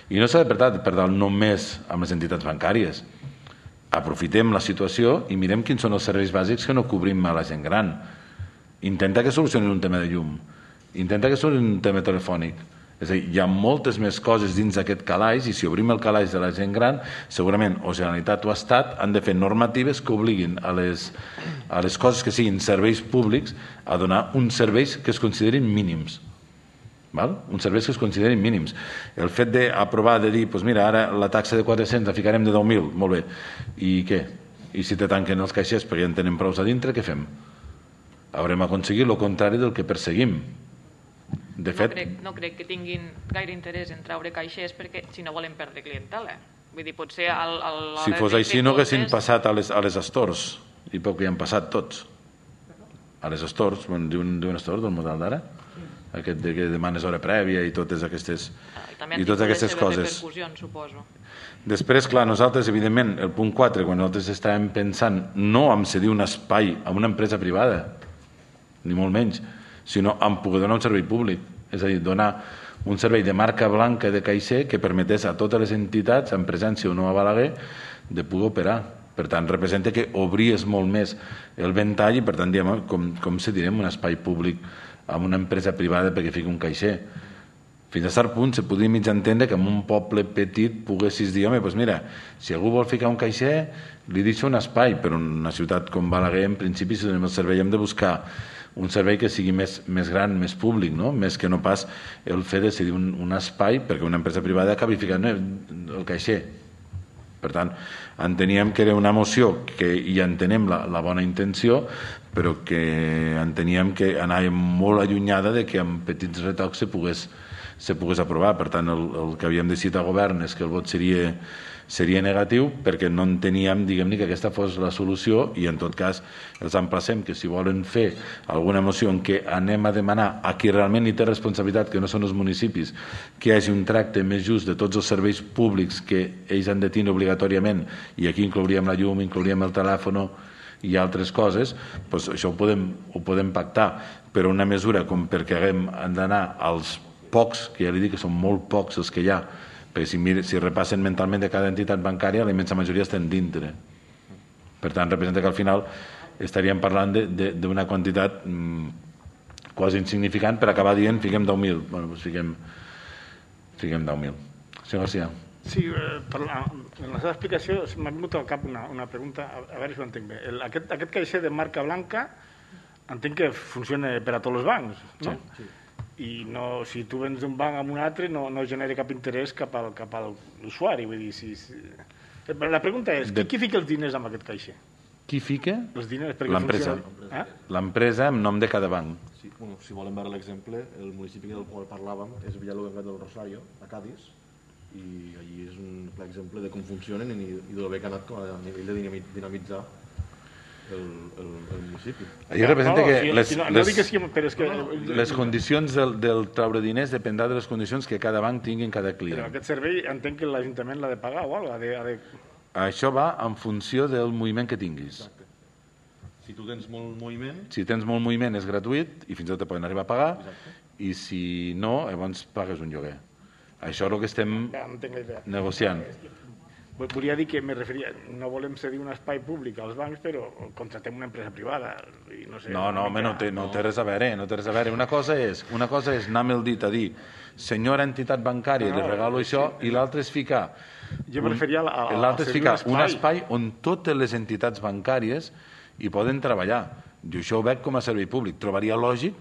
I no s'ha d'apretar per dalt només amb les entitats bancàries. Aprofitem la situació i mirem quins són els serveis bàsics que no cobrim a la gent gran. Intenta que solucionin un tema de llum, intenta que solucionin un tema telefònic. És a dir, hi ha moltes més coses dins d'aquest calaix i si obrim el calaix de la gent gran, segurament o Generalitat o Estat han de fer normatives que obliguin a les coses que siguin serveis públics a donar uns serveis que es considerin mínims. Uns serveis que es considerin mínims. El fet d'aprovar, de dir, doncs mira, ara la taxa de 400 la ficarem de 10.000, molt bé, i què? I si te tanquen els caixers perquè ja en tenen prou a dintre, què fem? Haurem aconseguit el contrari del que perseguim. De fet... No crec que tinguin gaire interès en treure caixers perquè si no volen perdre clientela. Vull dir, potser... Si fos així no haguessin passat a les stores, i poc que hi han passat tots. A les stores, diuen stores del model d'ara? Aquest que demanes hora prèvia i totes aquestes coses. Suposo. Després, clar, nosaltres, evidentment, el punt 4, quan nosaltres estàvem pensant no en cedir un espai a una empresa privada, ni molt menys, sinó en poder donar un servei públic, és a dir, donar un servei de marca blanca de caixer que permetés a totes les entitats, en presència o no a Balaguer, de poder operar. Per tant, representa que obries molt més el ventall i, per tant, diem, com cedirem un espai públic amb una empresa privada perquè fiqui un caixer. Fins a cert punt se podria mig entendre que en un poble petit poguessis dir, home, doncs mira, si algú vol ficar un caixer, li deixo un espai, però en una ciutat com Balaguer, en principi, si donem el servei, hem de buscar un servei que sigui més gran, més públic, no? Més que no pas el fet de cedir un espai perquè una empresa privada acabi ficant el caixer. Per tant, enteníem que era una moció que ja entenem la bona intenció, però que enteníem que anava molt allunyada de que amb petits retocs se pogués aprovar. Per tant, el que havíem decidit al govern és que el vot seria negatiu perquè no enteníem, diguem-ne, que aquesta fos la solució i en tot cas els emplacem que si volen fer alguna moció en què anem a demanar a qui realment hi té responsabilitat, que no són els municipis, que hi hagi un tracte més just de tots els serveis públics que ells han de tenir obligatòriament, i aquí inclouríem la llum, inclouríem el telèfon i altres coses, doncs això ho podem pactar, però una mesura com perquè haguem d'anar als pocs, que ja li dic que són molt pocs els que hi ha, perquè si repassen mentalment de cada entitat bancària, la immensa majoria estan dintre. Per tant, representa que al final estaríem parlant d'una quantitat quasi insignificant per acabar dient fiquem 10.000. Bé, doncs fiquem 10.000. Senyor García. Sí, en la seva explicació m'ha vingut al cap una pregunta, a veure si ho entenc bé. Aquest caixer de marca blanca entenc que funciona per a tots els bancs, no? Sí. I no, si tu vens d'un banc a un altre no genera cap interès cap a l'usuari. Vull dir, la pregunta és, qui fica els diners en aquest caixer? Qui fica? Els diners, l'empresa. L'empresa en nom de cada banc. Sí, bueno, si volen veure l'exemple, el municipi del qual parlàvem és Villalonga del Rosario, a Cádiz, i allí és un clar exemple de com funcionen i de bé que ha anat a nivell de dinamitzar el municipi. Allí representa que les condicions del traure diners dependrà de les condicions que cada banc tingui en cada client. Però aquest servei entenc que l'Ajuntament l'ha de pagar o alguna cosa? Això va en funció del moviment que tinguis. Exacte. Si tu tens molt moviment... Si tens molt moviment és gratuït i fins i tot te poden arribar a pagar. Exacte. I si no, llavors pagues un lloguer. Això és el que estem negociant. Volia dir que me referia, no volem cedir un espai públic als bancs, però contratem una empresa privada. I no sé, no té res a veure, no té res a veure. Una cosa és anar amb el dit a dir senyora entitat bancària, li regalo això, i l'altre és ficar un espai on totes les entitats bancàries hi poden treballar. Jo això ho veig com a servei públic. Trobaria lògic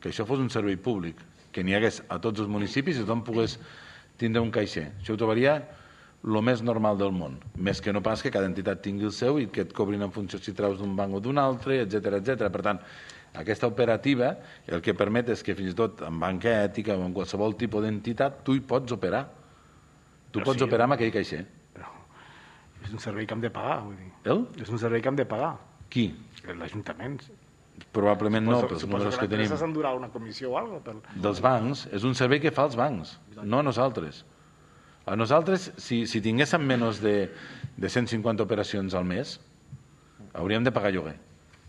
que això fos un servei públic, que n'hi hagués a tots els municipis i tothom pogués tindre un caixer. Això ho trobaria el més normal del món, més que no pas que cada entitat tingui el seu i que et cobrin en funció si treus d'un banc o d'un altre, etc. Per tant, aquesta operativa el que permet és que fins i tot en banca ètica o en qualsevol tipus d'entitat tu hi pots operar. Tu pots operar amb aquell caixer. És un servei que hem de pagar, vull dir. És un servei que hem de pagar. Qui? L'Ajuntament. Probablement no, pels números que tenim. Suposo que l'empresa s'endurà una comissió o alguna cosa. Dels bancs, és un servei que fa els bancs, no a nosaltres. A nosaltres, si tinguéssim menys de 150 operacions al mes, hauríem de pagar lloguer.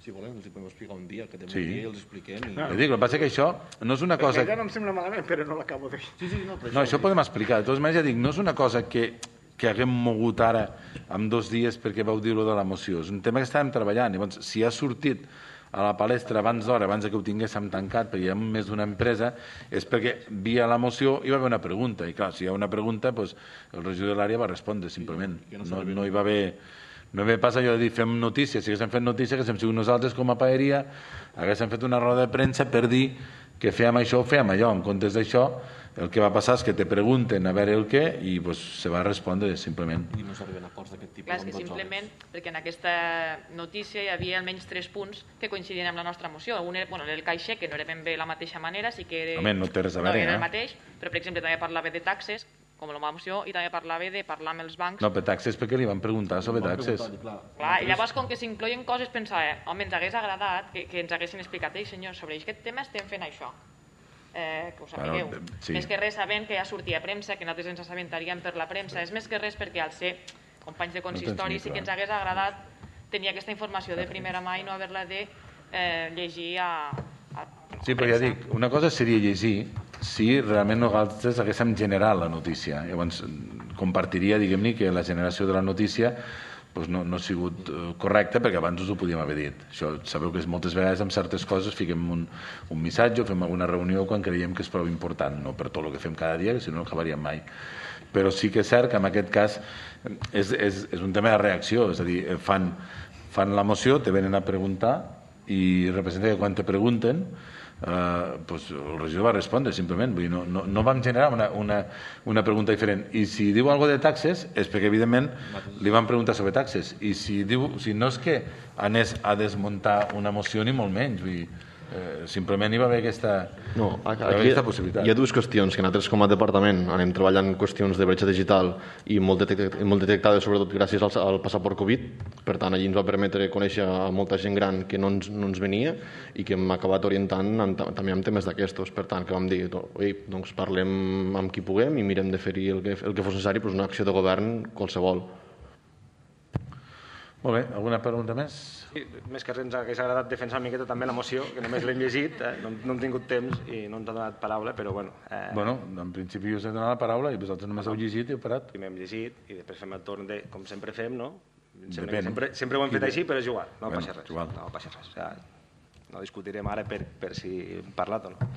Si volen, els podem explicar un dia, que tenim Sí. un dia i els expliquem. El que passa és que això no és una cosa... Ja no em sembla malament, però no l'acabo de dir. No, això ho podem explicar. De totes maneres, ja dic, no és una cosa que haguem mogut ara en 2 dies perquè vau dir-ho de la moció. És un tema que estàvem treballant. Llavors, si ha sortit a la palestra abans d'hora, abans que ho tinguéssim tancat, perquè hi ha més d'una empresa, és perquè via la moció hi va haver una pregunta. I clar, si hi ha una pregunta, doncs, el regidor de l'àrea va respondre, simplement. No hi va haver... No ve pas allò de dir fem notícia, si haguéssim fet notícia, haguéssim sigut nosaltres com a paeria, haguéssim fet una roda de premsa per dir que fèiem això o fèiem allò. En comptes d'això, el que va passar és que te pregunten a veure el què i pues, se va respondre simplement. I no s'arriben a acords d'aquest tipus. Clar, és que simplement, perquè en aquesta notícia hi havia almenys 3 punts que coincidien amb la nostra moció. Un era el caixer, que no era ben bé la mateixa manera, sí que era... Home, no té res a veure, no era el mateix, però per exemple també parlava de taxes, com la moció, i també parlava de parlar amb els bancs. No, per taxes perquè li van preguntar sobre taxes. Clar, i llavors com que s'incloïen coses pensava, home, ens hagués agradat que ens haguessin explicat, ei senyors, sobre aquest tema estem fent això. Que ho sapigueu. Sí. Més que res sabent que ja sortia a premsa, que nosaltres ens assabentaríem per la premsa, és més que res perquè al ser companys de consistori sí que ens hagués agradat tenir aquesta informació de primera mà i no haver-la de llegir a Sí, però ja dic, una cosa seria llegir si realment nosaltres haguéssim generat la notícia. Llavors, compartiria, diguem-ne, que la generació de la notícia doncs no ha sigut correcta perquè abans us ho podíem haver dit. Això, sabeu que moltes vegades amb certes coses fiquem un missatge o fem alguna reunió quan creiem que és prou important, no per tot el que fem cada dia, que si no no acabaríem mai. Però sí que és cert que en aquest cas és un tema de reacció, és a dir, fan la moció, te venen a preguntar i representa que quan te pregunten doncs el regidor va respondre simplement. Vull dir, no vam generar una pregunta diferent. I si diu alguna de taxes és perquè evidentment li van preguntar sobre taxes. I si no és que anés a desmuntar una moció ni molt menys, vull dir, simplement hi va haver aquesta possibilitat. Hi ha dues qüestions que nosaltres com a departament anem treballant qüestions de bretxa digital i molt detectades sobretot gràcies al passaport Covid. Per tant, allí ens va permetre conèixer a molta gent gran que no ens venia i que hem acabat orientant també amb temes d'aquestos. Per tant, que vam dir, doncs parlem amb qui puguem i mirem de fer-hi el que fos necessari, però és una acció de govern qualsevol. Molt bé, alguna pregunta més? Sí, més que res ens hauria agradat defensar una miqueta també la moció, que només l'hem llegit, no hem tingut temps i no ens ha donat paraula, però bueno... Bueno, en principi us he donat la paraula i vosaltres només heu llegit i heu parat. Primer hem llegit i després fem el torn de, com sempre fem, no? Depèn. Sempre ho hem fet així, però és igual, no Bueno, passa res. igual. No passa res. O sigui, no discutirem ara per si hem parlat o no.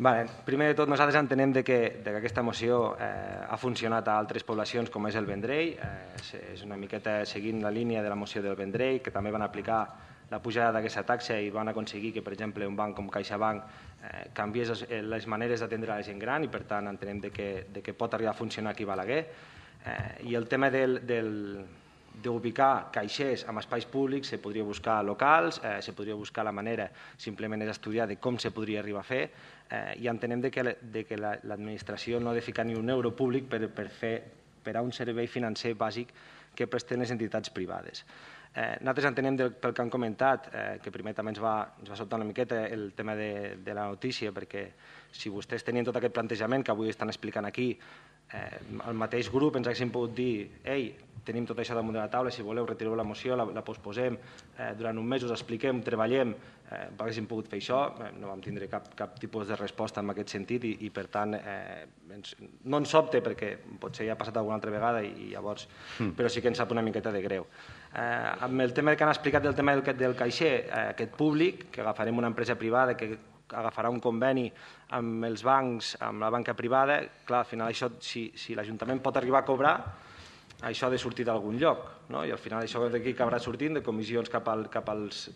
Vale. Primer de tot, nosaltres entenem que aquesta moció ha funcionat a altres poblacions com és el Vendrell. És una miqueta seguint la línia de la moció del Vendrell, que també van aplicar la pujada d'aquesta taxa i van aconseguir que, per exemple, un banc com CaixaBank canviés les maneres d'atendre la gent gran i, per tant, entenem que pot arribar a funcionar aquí a Balaguer. I el tema d'ubicar caixers en espais públics se podria buscar locals, se podria buscar la manera, simplement és estudiar de com se podria arribar a fer i entenem que l'administració no ha de ficar ni un euro públic per a un servei financer bàsic que presten les entitats privades. Nosaltres entenem pel que han comentat que primer també ens va sobtar una miqueta el tema de la notícia, perquè si vostès tenien tot aquest plantejament que avui estan explicant aquí, el mateix grup ens haguessin pogut dir tenim tot això damunt de la taula, si voleu retireu la moció, la posposem, durant un mes us expliquem, treballem, haguéssim pogut fer això, no vam tindre cap tipus de resposta en aquest sentit i per tant no ens sobte perquè potser ja ha passat alguna altra vegada i llavors, però sí que ens sap una miqueta de greu. Amb el tema que han explicat del tema del caixer, aquest públic, que agafarem una empresa privada que agafarà un conveni amb els bancs, amb la banca privada, clar, al final això, si l'Ajuntament pot arribar a cobrar, això ha de sortir d'algun lloc, no? I al final això d'aquí acabarà sortint de comissions cap als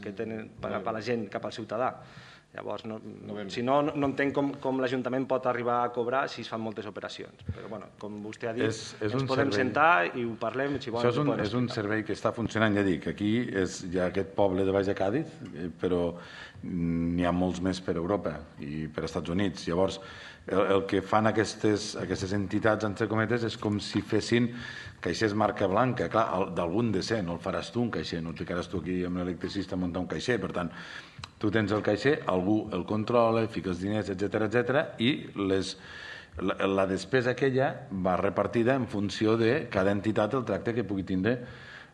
que tenen, cap a la gent, cap al ciutadà. Llavors, si no entenc com l'Ajuntament pot arribar a cobrar si es fan moltes operacions. Però, bueno, com vostè ha dit, ens podem sentar i ho parlem. Això és un servei que està funcionant, ja dic, aquí hi ha aquest poble de Baix de Càdiz, però n'hi ha molts més per Europa i per Estats Units. Llavors, el que fan aquestes entitats, entre cometes, és com si fessin caixers marca blanca, clar, d'algun de ser, no el faràs tu un caixer, no et ficaràs tu aquí amb l'electricista a muntar un caixer, per tant, tu tens el caixer, algú el controla, fica els diners, etc i la despesa aquella va repartida en funció de cada entitat el tracte que pugui tindre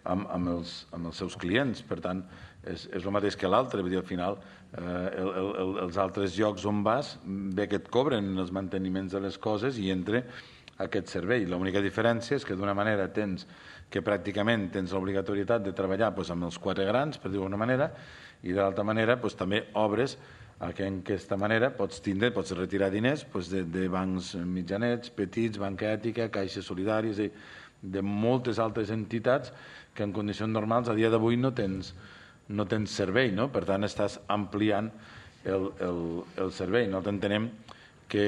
amb els seus clients. Per tant, és el mateix que l'altre. Vull dir, al final, els altres llocs on vas, bé que et cobren els manteniments de les coses i entra aquest servei. L'única diferència és que d'una manera que pràcticament tens l'obligatorietat de treballar amb els 4 grans, per dir-ho d'una manera, i de l'altra manera també obres que en aquesta manera pots retirar diners de bancs mitjanets, petits, banca ètica, caixes solidàries, de moltes altres entitats que en condicions normals a dia d'avui no tens servei, no? Per tant, estàs ampliant el servei. Nosaltres entenem que,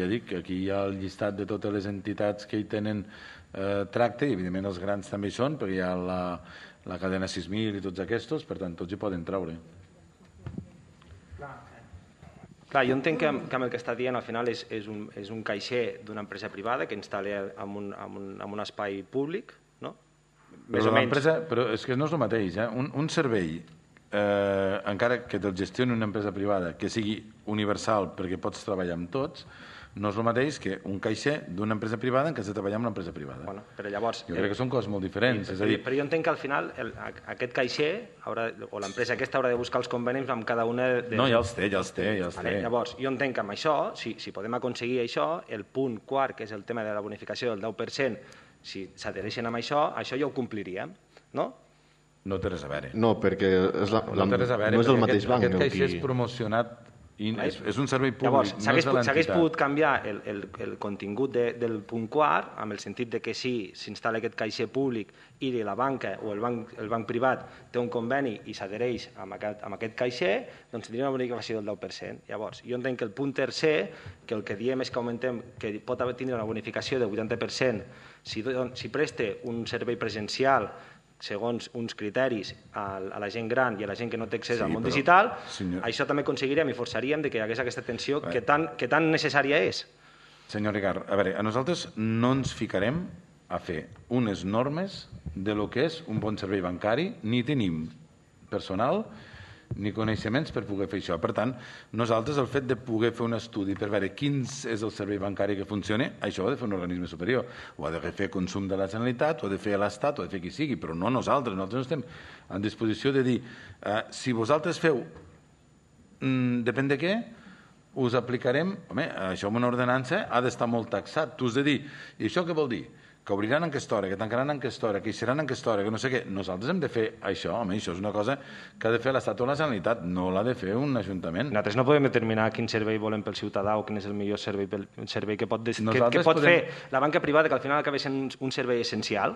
ja dic, que aquí hi ha el llistat de totes les entitats que hi tenen tracte, i evidentment els grans també hi són, perquè hi ha la cadena 6.000 i tots aquests, per tant, tots hi poden treure. Clar, jo entenc que amb el que està dient al final és un caixer d'una empresa privada que instal·la en un espai públic, no? Però és que no és el mateix. Un servei, encara que te'l gestioni una empresa privada, que sigui universal perquè pots treballar amb tots, no és el mateix que un caixer d'una empresa privada en què has de treballar amb una empresa privada. Bueno, però llavors... Jo crec que són coses molt diferents. Però jo entenc que al final aquest caixer o l'empresa aquesta haurà de buscar els convenis amb cada una de... No, ja els té. Llavors, jo entenc que amb això, si podem aconseguir això, el punt quart, que és el tema de la bonificació del 10%, si s'adhereixen amb això ja ho compliríem, no? No té res a veure. No, perquè no és el mateix banc. Aquest caixer és promocionat i és un servei públic. Llavors, s'hagués pogut canviar el contingut del punt quart amb el sentit de que si s'instal·la aquest caixer públic i la banca o el banc privat té un conveni i s'adhereix amb aquest caixer, doncs tindria una bonificació del 10%. Llavors, jo entenc que el punt tercer, que el que diem és que augmentem, que pot tindre una bonificació del 80% si presta un servei presencial segons uns criteris a la gent gran i a la gent que no té accés al món digital, això també aconseguirem i forçaríem que hi hagués aquesta atenció que tan necessària és. Senyor Ricard, a veure, a nosaltres no ens ficarem a fer unes normes de lo que és un bon servei bancari, ni tenim personal ni coneixements per poder fer això. Per tant, nosaltres el fet de poder fer un estudi per veure quin és el servei bancari que funcioni, això ho ha de fer un organisme superior. Ho ha de fer Consum de la Generalitat, ho ha de fer l'Estat, ho ha de fer qui sigui, però no nosaltres. Nosaltres no estem en disposició de dir si vosaltres feu depèn de què, us aplicarem... Home, això amb una ordenança ha d'estar molt taxat. Tu has de dir, i això què vol dir? Que obriran en aquesta hora, que tancaran en aquesta hora, que hi seran en aquesta hora, que no sé què. Nosaltres hem de fer això, home, això és una cosa que ha de fer l'Estat o la Generalitat, no l'ha de fer un ajuntament. Nosaltres no podem determinar quin servei volem pel ciutadà o quin és el millor servei que pot fer la banca privada, que al final acaba sent un servei essencial.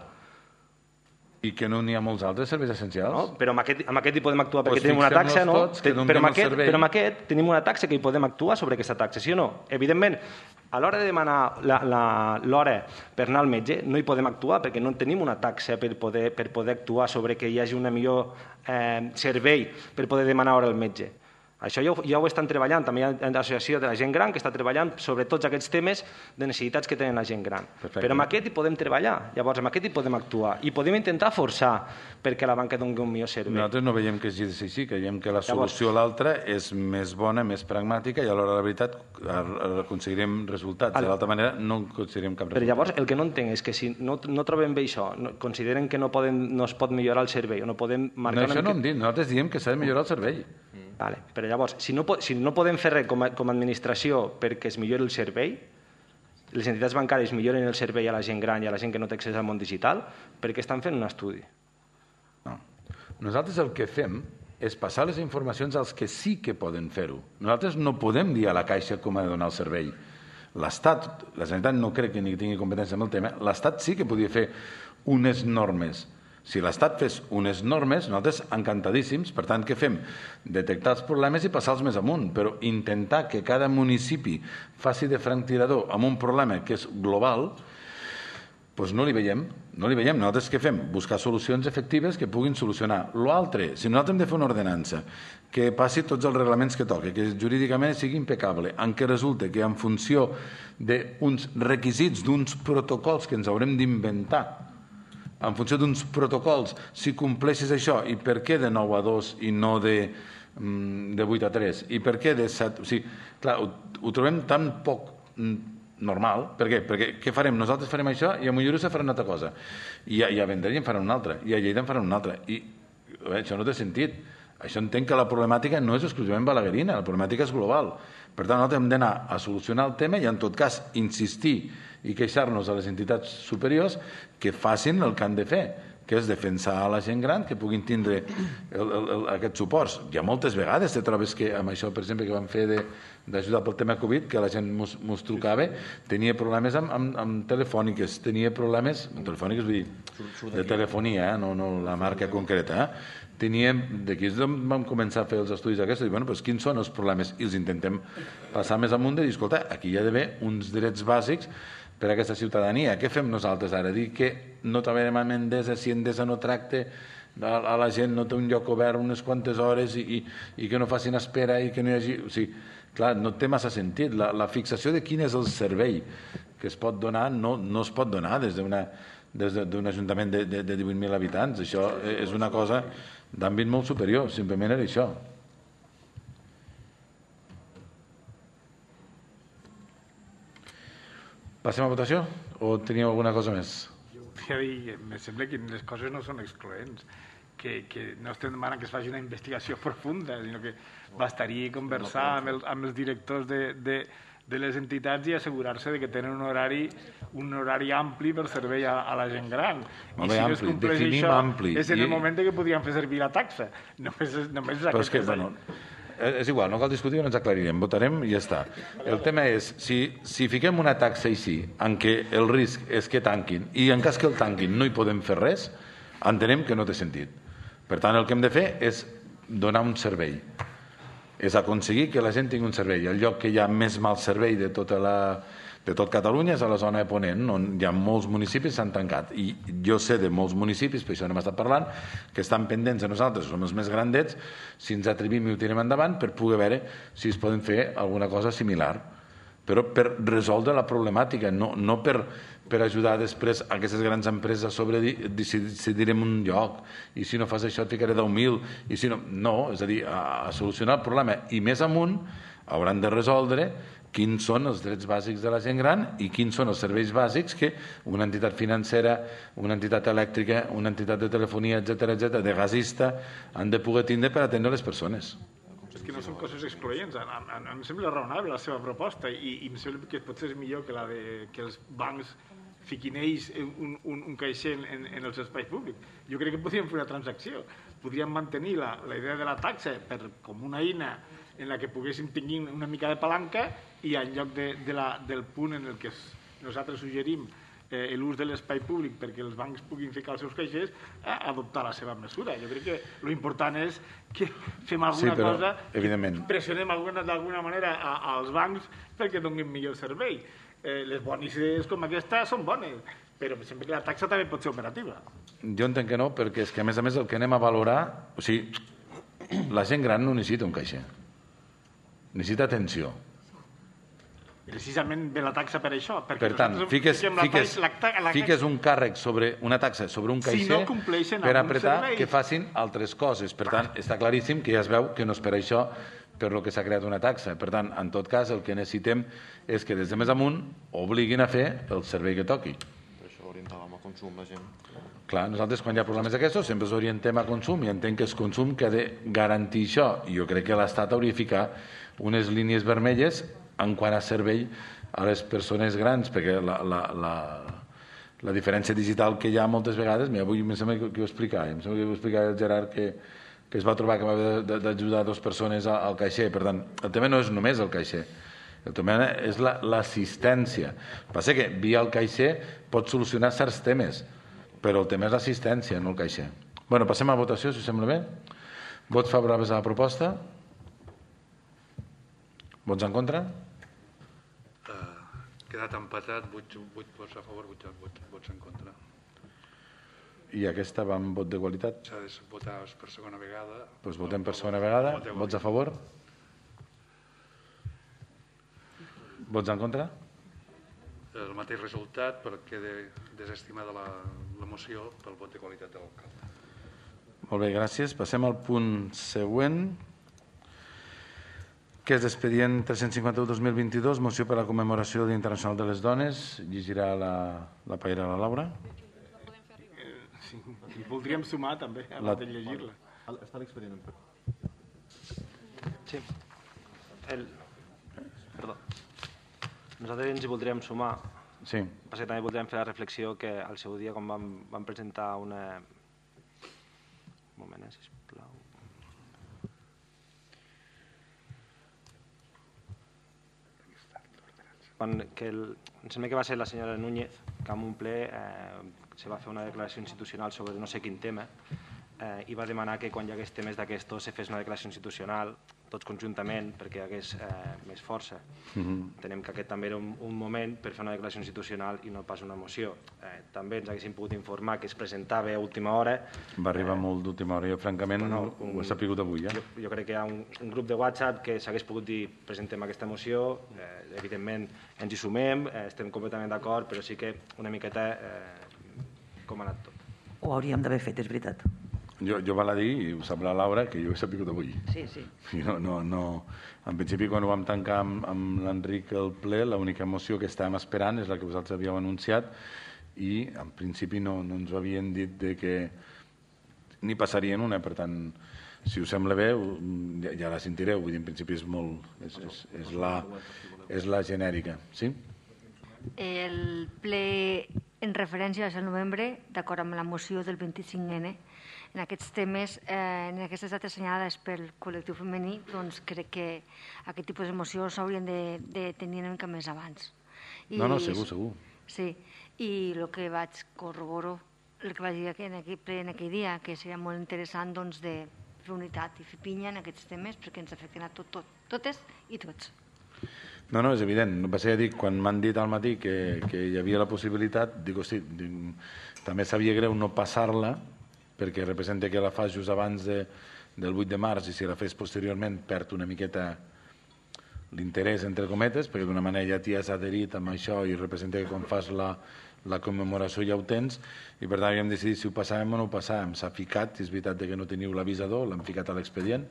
I que no n'hi ha molts altres serveis essencials. No, però amb aquest hi podem actuar perquè tenim una taxa, no? Però amb aquest tenim una taxa que hi podem actuar sobre aquesta taxa, sí o no? Evidentment, a l'hora de demanar l'hora per anar al metge no hi podem actuar perquè no tenim una taxa per poder actuar sobre que hi hagi un millor servei per poder demanar hora al metge. Això ja ho estan treballant, també hi ha l'associació de la gent gran que està treballant sobre tots aquests temes de necessitats que tenen la gent gran. Però amb aquest hi podem treballar, llavors amb aquest hi podem actuar i podem intentar forçar perquè la banca doni un millor servei. Nosaltres no veiem que sigui així, creiem que la solució a l'altra és més bona, més pragmàtica i alhora la veritat aconseguirem resultats. De l'altra manera no aconseguirem cap resultat. Però llavors el que no entenc és que si no trobem bé això, consideren que no es pot millorar el servei o no podem marcar... No, això no hem dit, nosaltres diem que s'ha de millorar el servei. Vale. Però llavors, si no podem fer res com a administració perquè es millori el servei, les entitats bancàries milloren el servei a la gent gran i a la gent que no té accés al món digital, per què estan fent un estudi? No. Nosaltres el que fem és passar les informacions als que sí que poden fer-ho. Nosaltres no podem dir a la Caixa com ha de donar el servei. L'Estat, la Generalitat no crec que ni tingui competència en el tema, l'Estat sí que podria fer unes normes. Si l'Estat fes unes normes, nosaltres encantadíssims, per tant, què fem? Detectar els problemes i passar-los més amunt, però intentar que cada municipi faci de franctirador amb un problema que és global, doncs no li veiem. Nosaltres què fem? Buscar solucions efectives que puguin solucionar. L'altre, si nosaltres hem de fer una ordenança que passi tots els reglaments que toqui, que jurídicament sigui impecable, en què resulta que en funció d'uns requisits, d'uns protocols que ens haurem d'inventar, en funció d'uns protocols, si compleixes això, i per què de 9 a 2 i no de 8 a 3? I per què de 7? O sigui, clar, ho trobem tan poc normal. Per què? Perquè què farem? Nosaltres farem això i a Mollerussa faran una altra cosa. I a Vendrell en faran una altra. I a Lleida en faran una altra. I això no té sentit. Això entenc que la problemàtica no és exclusivament balaguerina, la problemàtica és global. Per tant, nosaltres hem d'anar a solucionar el tema i, en tot cas, insistir i queixar-nos a les entitats superiors que facin el que han de fer, que és defensar a la gent gran, que puguin tindre aquests suports. Hi ha moltes vegades te trobes que amb això, per exemple, que vam fer d'ajudar pel tema Covid, que la gent mos trucava, tenia problemes amb telefòniques, tenia problemes, amb telefòniques vull dir, de telefonia, no la marca concreta, d'aquí vam començar a fer els estudis aquests, i bueno, doncs quins són els problemes? I els intentem passar més amunt i dir, escolta, aquí hi ha d'haver uns drets bàsics per a aquesta ciutadania. Què fem nosaltres ara? Dir que no treballarem amb Endesa si Endesa no tracta a la gent, no té un lloc obert unes quantes hores i que no facin espera i que no hi hagi... O sigui, clar, no té massa sentit. La fixació de quin és el servei que es pot donar no es pot donar des d'un ajuntament de 18.000 habitants. Això és una cosa d'àmbit molt superior, simplement era això. Passem a votació? O teníeu alguna cosa més? Jo volia dir, em sembla que les coses no són excloents, que no estem demanant que es faci una investigació profunda, sinó que bastaria conversar amb els directors de les entitats i assegurar-se que tenen un horari ampli per servei a la gent gran. I si no es compleix això, és en el moment que podríem fer servir la taxa. Només és aquest detall. És igual, no cal discutir, ens aclarirem, votarem i ja està. El tema és, si fiquem una taxa així, en què el risc és que tanquin, i en cas que el tanquin no hi podem fer res, entenem que no té sentit. Per tant, el que hem de fer és donar un servei. És aconseguir que la gent tingui un servei. El lloc que hi ha més mal servei de tot Catalunya és a la zona de Ponent, on hi ha molts municipis que s'han tancat. I jo sé de molts municipis, per això n'hem estat parlant, que estan pendents de nosaltres, som els més grandets, si ens atrevim i ho tirem endavant, per poder veure si es poden fer alguna cosa similar. Però per resoldre la problemàtica, no per ajudar després aquestes grans empreses a decidirem un lloc, i si no fas això et ficaré 10.000, i si no, és a dir, a solucionar el problema. I més amunt hauran de resoldre quins són els drets bàsics de la gent gran i quins són els serveis bàsics que una entitat financera, una entitat elèctrica, una entitat de telefonia, etc., de gasista, han de poder tindre per atendre les persones. És que no són coses excloents. Em sembla raonable la seva proposta i em sembla que potser és millor que els bancs fiquin ells un caixer en els espais públics. Jo crec que podríem fer una transacció. Podríem mantenir la idea de la taxa com una eina en la que poguéssim tenir una mica de palanca i en lloc del punt en el que nosaltres suggerim l'ús de l'espai públic perquè els bancs puguin ficar els seus caixers, adoptar la seva mesura. Jo crec que l'important és que fem alguna cosa, pressionem d'alguna manera als bancs perquè donin millor servei. Les bones idees com aquesta són bones, però sempre que la taxa també pot ser operativa. Jo entenc que no, perquè és que a més el que anem a valorar, o sigui, la gent gran no necessita un caixer, necessita atenció. Precisament ve la taxa per això. Per tant, fiques un càrrec sobre una taxa, sobre un caixer, per apretar que facin altres coses. Per tant, està claríssim que ja es veu que no és per això per lo que s'ha creat una taxa. Per tant, en tot cas, el que necessitem és que des de més amunt obliguin a fer el servei que toqui. Per això orientàvem a consum la gent. Clar, nosaltres quan hi ha problemes d'aquestos sempre ens orientem a consum i entenc que és consum que ha de garantir això. I jo crec que l'Estat hauria de ficar unes línies vermelles en quant a servei a les persones grans, perquè la diferència digital que hi ha moltes vegades, avui em sembla que ho explicava, el Gerard que es va trobar que va haver d'ajudar 2 persones al caixer. Per tant, el tema no és només el caixer, el tema és l'assistència. El que passa que via el caixer pot solucionar certs temes, però el tema és l'assistència, no el caixer. Bueno, passem a la votació, si us sembla bé. Vots favorables a la proposta? Vots en contra? Quedat empatat, 8 vots a favor, 8 vots en contra. I aquesta va amb vot de qualitat? S'ha de votar per segona vegada. Doncs votem per segona vegada. Vots a favor? Vots en contra? el mateix resultat, però queda desestimada la moció pel vot de qualitat de l'alcalde. Molt bé, gràcies. Passem al punt següent, que és l'expedient 351-2022, moció per a la commemoració del Dia Internacional de les Dones. Llegirà la paella la Laura. Sí, i voldríem sumar també, abans de llegir-la. Està l'expedient. Sí. Perdó. Nosaltres ens hi voldríem sumar. Sí. Perquè també voldríem fer la reflexió que al seu dia, quan vam presentar una... Un moment, sisplau. Em sembla que va ser la senyora Núñez que en un ple se va fer una declaració institucional sobre no sé quin tema i va demanar que quan hi hagués temes d'aquestos se fes una declaració institucional tots conjuntament perquè hi hagués més força. Entenem que aquest també era un moment per fer una declaració institucional i no pas una moció. També ens haguéssim pogut informar que es presentava a última hora. Va arribar molt d'última hora. Jo, francament, ho he sapigut avui. Jo crec que hi ha un grup de WhatsApp que s'hagués pogut dir presentem aquesta moció. Evidentment, ens hi sumem, estem completament d'acord, però sí que una miqueta com ha anat tot. Ho hauríem d'haver fet, és veritat. Jo val a dir, i ho sap la Laura, que jo he sapigut avui. Sí. En principi, quan ho vam tancar amb l'Enric el ple, l'única moció que estàvem esperant és la que vosaltres havíeu anunciat i en principi no ens ho havien dit que ni passarien una, per tant, si us sembla bé, ja la sentireu, vull dir, en principi és molt... és la genèrica, sí? El ple en referència va ser el novembre, d'acord amb la moció del 25N. En aquests temes, en aquestes dates assenyalades pel col·lectiu femení, doncs crec que aquest tipus de mocions s'haurien de tenir una mica més abans. No, segur. Sí, i el que vaig corroboro, el que vaig dir en aquell dia, que seria molt interessant doncs, de fer unitat i fer pinya en aquests temes perquè ens afecten a totes i tots. No, és evident. Va ser a dir, quan m'han dit al matí que hi havia la possibilitat, dic, hosti, també sabia greu no passar-la, perquè representa que la fas just abans del 8 de març i si la fes posteriorment perd una miqueta l'interès, entre cometes, perquè d'una manera ja t'hi has adherit amb això i representa que quan fas la commemoració ja ho tens i per tant havíem decidit si ho passàvem o no ho passàvem. S'ha ficat, és veritat que no teniu l'avisador, l'hem ficat a l'expedient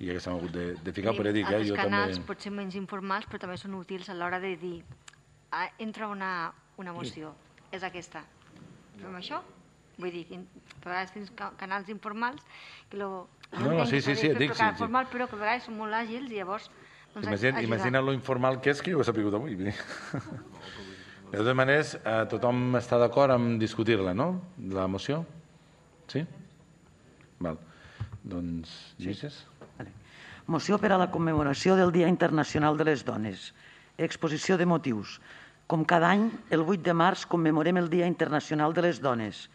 i ja que s'hem hagut de ficar, però dic, jo també... Els canals potser menys informals però també són útils a l'hora de dir entra una moció, és aquesta. Fem això? Vull dir, a vegades tens canals informals que sí, dic, sí. Formal, però que a vegades són molt àgils i llavors Imagina't lo informal que és que jo ho he sapigut avui. De totes maneres, tothom està d'acord en discutir-la, no? La moció? Sí? Val. Doncs, llegeixes? Moció per a la commemoració del Dia Internacional de les Dones. Exposició de motius. Com cada any, el 8 de març commemorem el Dia Internacional de les Dones,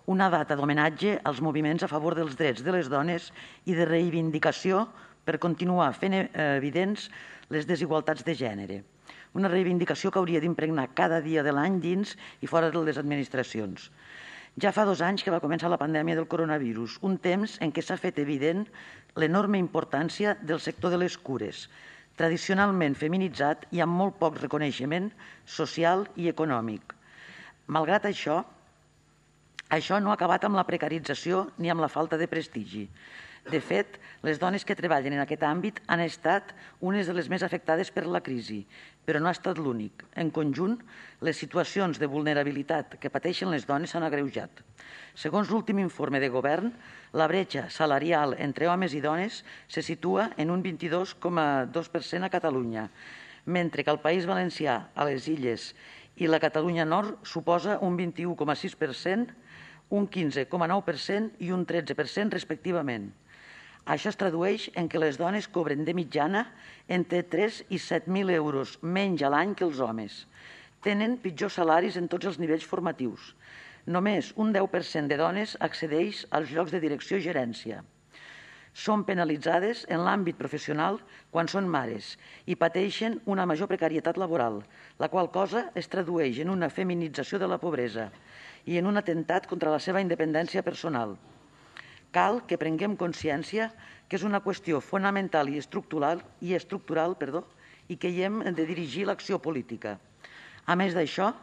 una data d'homenatge als moviments a favor dels drets de les dones i de reivindicació per continuar fent evidents les desigualtats de gènere. Una reivindicació que hauria d'impregnar cada dia de l'any dins i fora de les administracions. Ja fa 2 anys que va començar la pandèmia del coronavirus, un temps en què s'ha fet evident l'enorme importància del sector de les cures, tradicionalment feminitzat i amb molt poc reconeixement social i econòmic. Malgrat això no ha acabat amb la precarització ni amb la falta de prestigi. De fet, les dones que treballen en aquest àmbit han estat unes de les més afectades per la crisi, però no ha estat l'únic. En conjunt, les situacions de vulnerabilitat que pateixen les dones s'han agreujat. Segons l'últim informe de govern, la bretxa salarial entre homes i dones se situa en un 22,2% a Catalunya, mentre que al País Valencià, a les Illes i la Catalunya Nord suposa un 21,6%, un 15,9% i un 13% respectivament. Això es tradueix en què les dones cobren de mitjana entre 3 i 7.000 euros menys a l'any que els homes. Tenen pitjors salaris en tots els nivells formatius. Només un 10% de dones accedeix als llocs de direcció i gerència. Són penalitzades en l'àmbit professional quan són mares i pateixen una major precarietat laboral, la qual cosa es tradueix en una feminització de la pobresa i en un atemptat contra la seva independència personal. Cal que prenguem consciència que és una qüestió fonamental i estructural i que hi hem de dirigir l'acció política. A més d'això,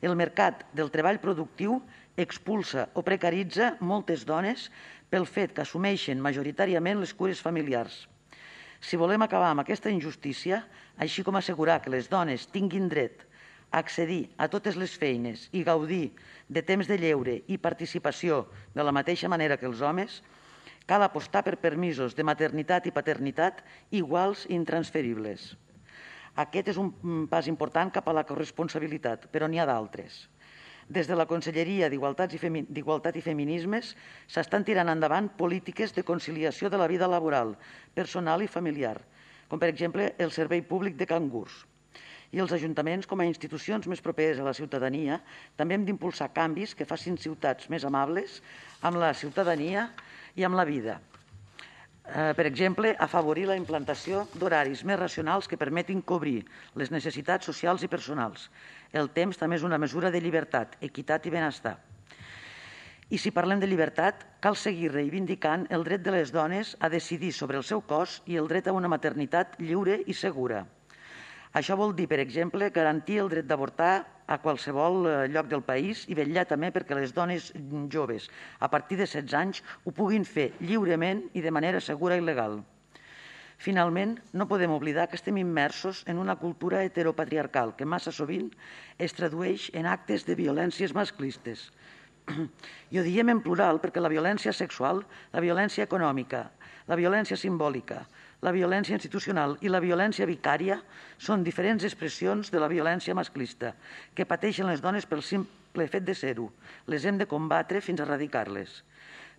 el mercat del treball productiu expulsa o precaritza moltes dones pel fet que assumeixen majoritàriament les cures familiars. Si volem acabar amb aquesta injustícia, així com assegurar que les dones tinguin dret a accedir a totes les feines i gaudir de temps de lleure i participació de la mateixa manera que els homes, cal apostar per permisos de maternitat i paternitat iguals i intransferibles. Aquest és un pas important cap a la corresponsabilitat, però n'hi ha d'altres. Des de la Conselleria d'Igualtat i Feminismes s'estan tirant endavant polítiques de conciliació de la vida laboral, personal i familiar, com per exemple el Servei Públic de Cangurs. I els ajuntaments, com a institucions més properes a la ciutadania, també hem d'impulsar canvis que facin ciutats més amables amb la ciutadania i amb la vida. Per exemple, afavorir la implantació d'horaris més racionals que permetin cobrir les necessitats socials i personals. El temps també és una mesura de llibertat, equitat i benestar. I si parlem de llibertat, cal seguir reivindicant el dret de les dones a decidir sobre el seu cos i el dret a una maternitat lliure i segura. Això vol dir, per exemple, garantir el dret d'avortar a qualsevol lloc del país i vetllar també perquè les dones joves a partir de 16 anys ho puguin fer lliurement i de manera segura i legal. Finalment, no podem oblidar que estem immersos en una cultura heteropatriarcal que massa sovint es tradueix en actes de violències masclistes. I ho diem en plural perquè la violència sexual, la violència econòmica, la violència simbòlica, la violència institucional i la violència vicària són diferents expressions de la violència masclista que pateixen les dones pel simple fet de ser-ho. Les hem de combatre fins a erradicar-les.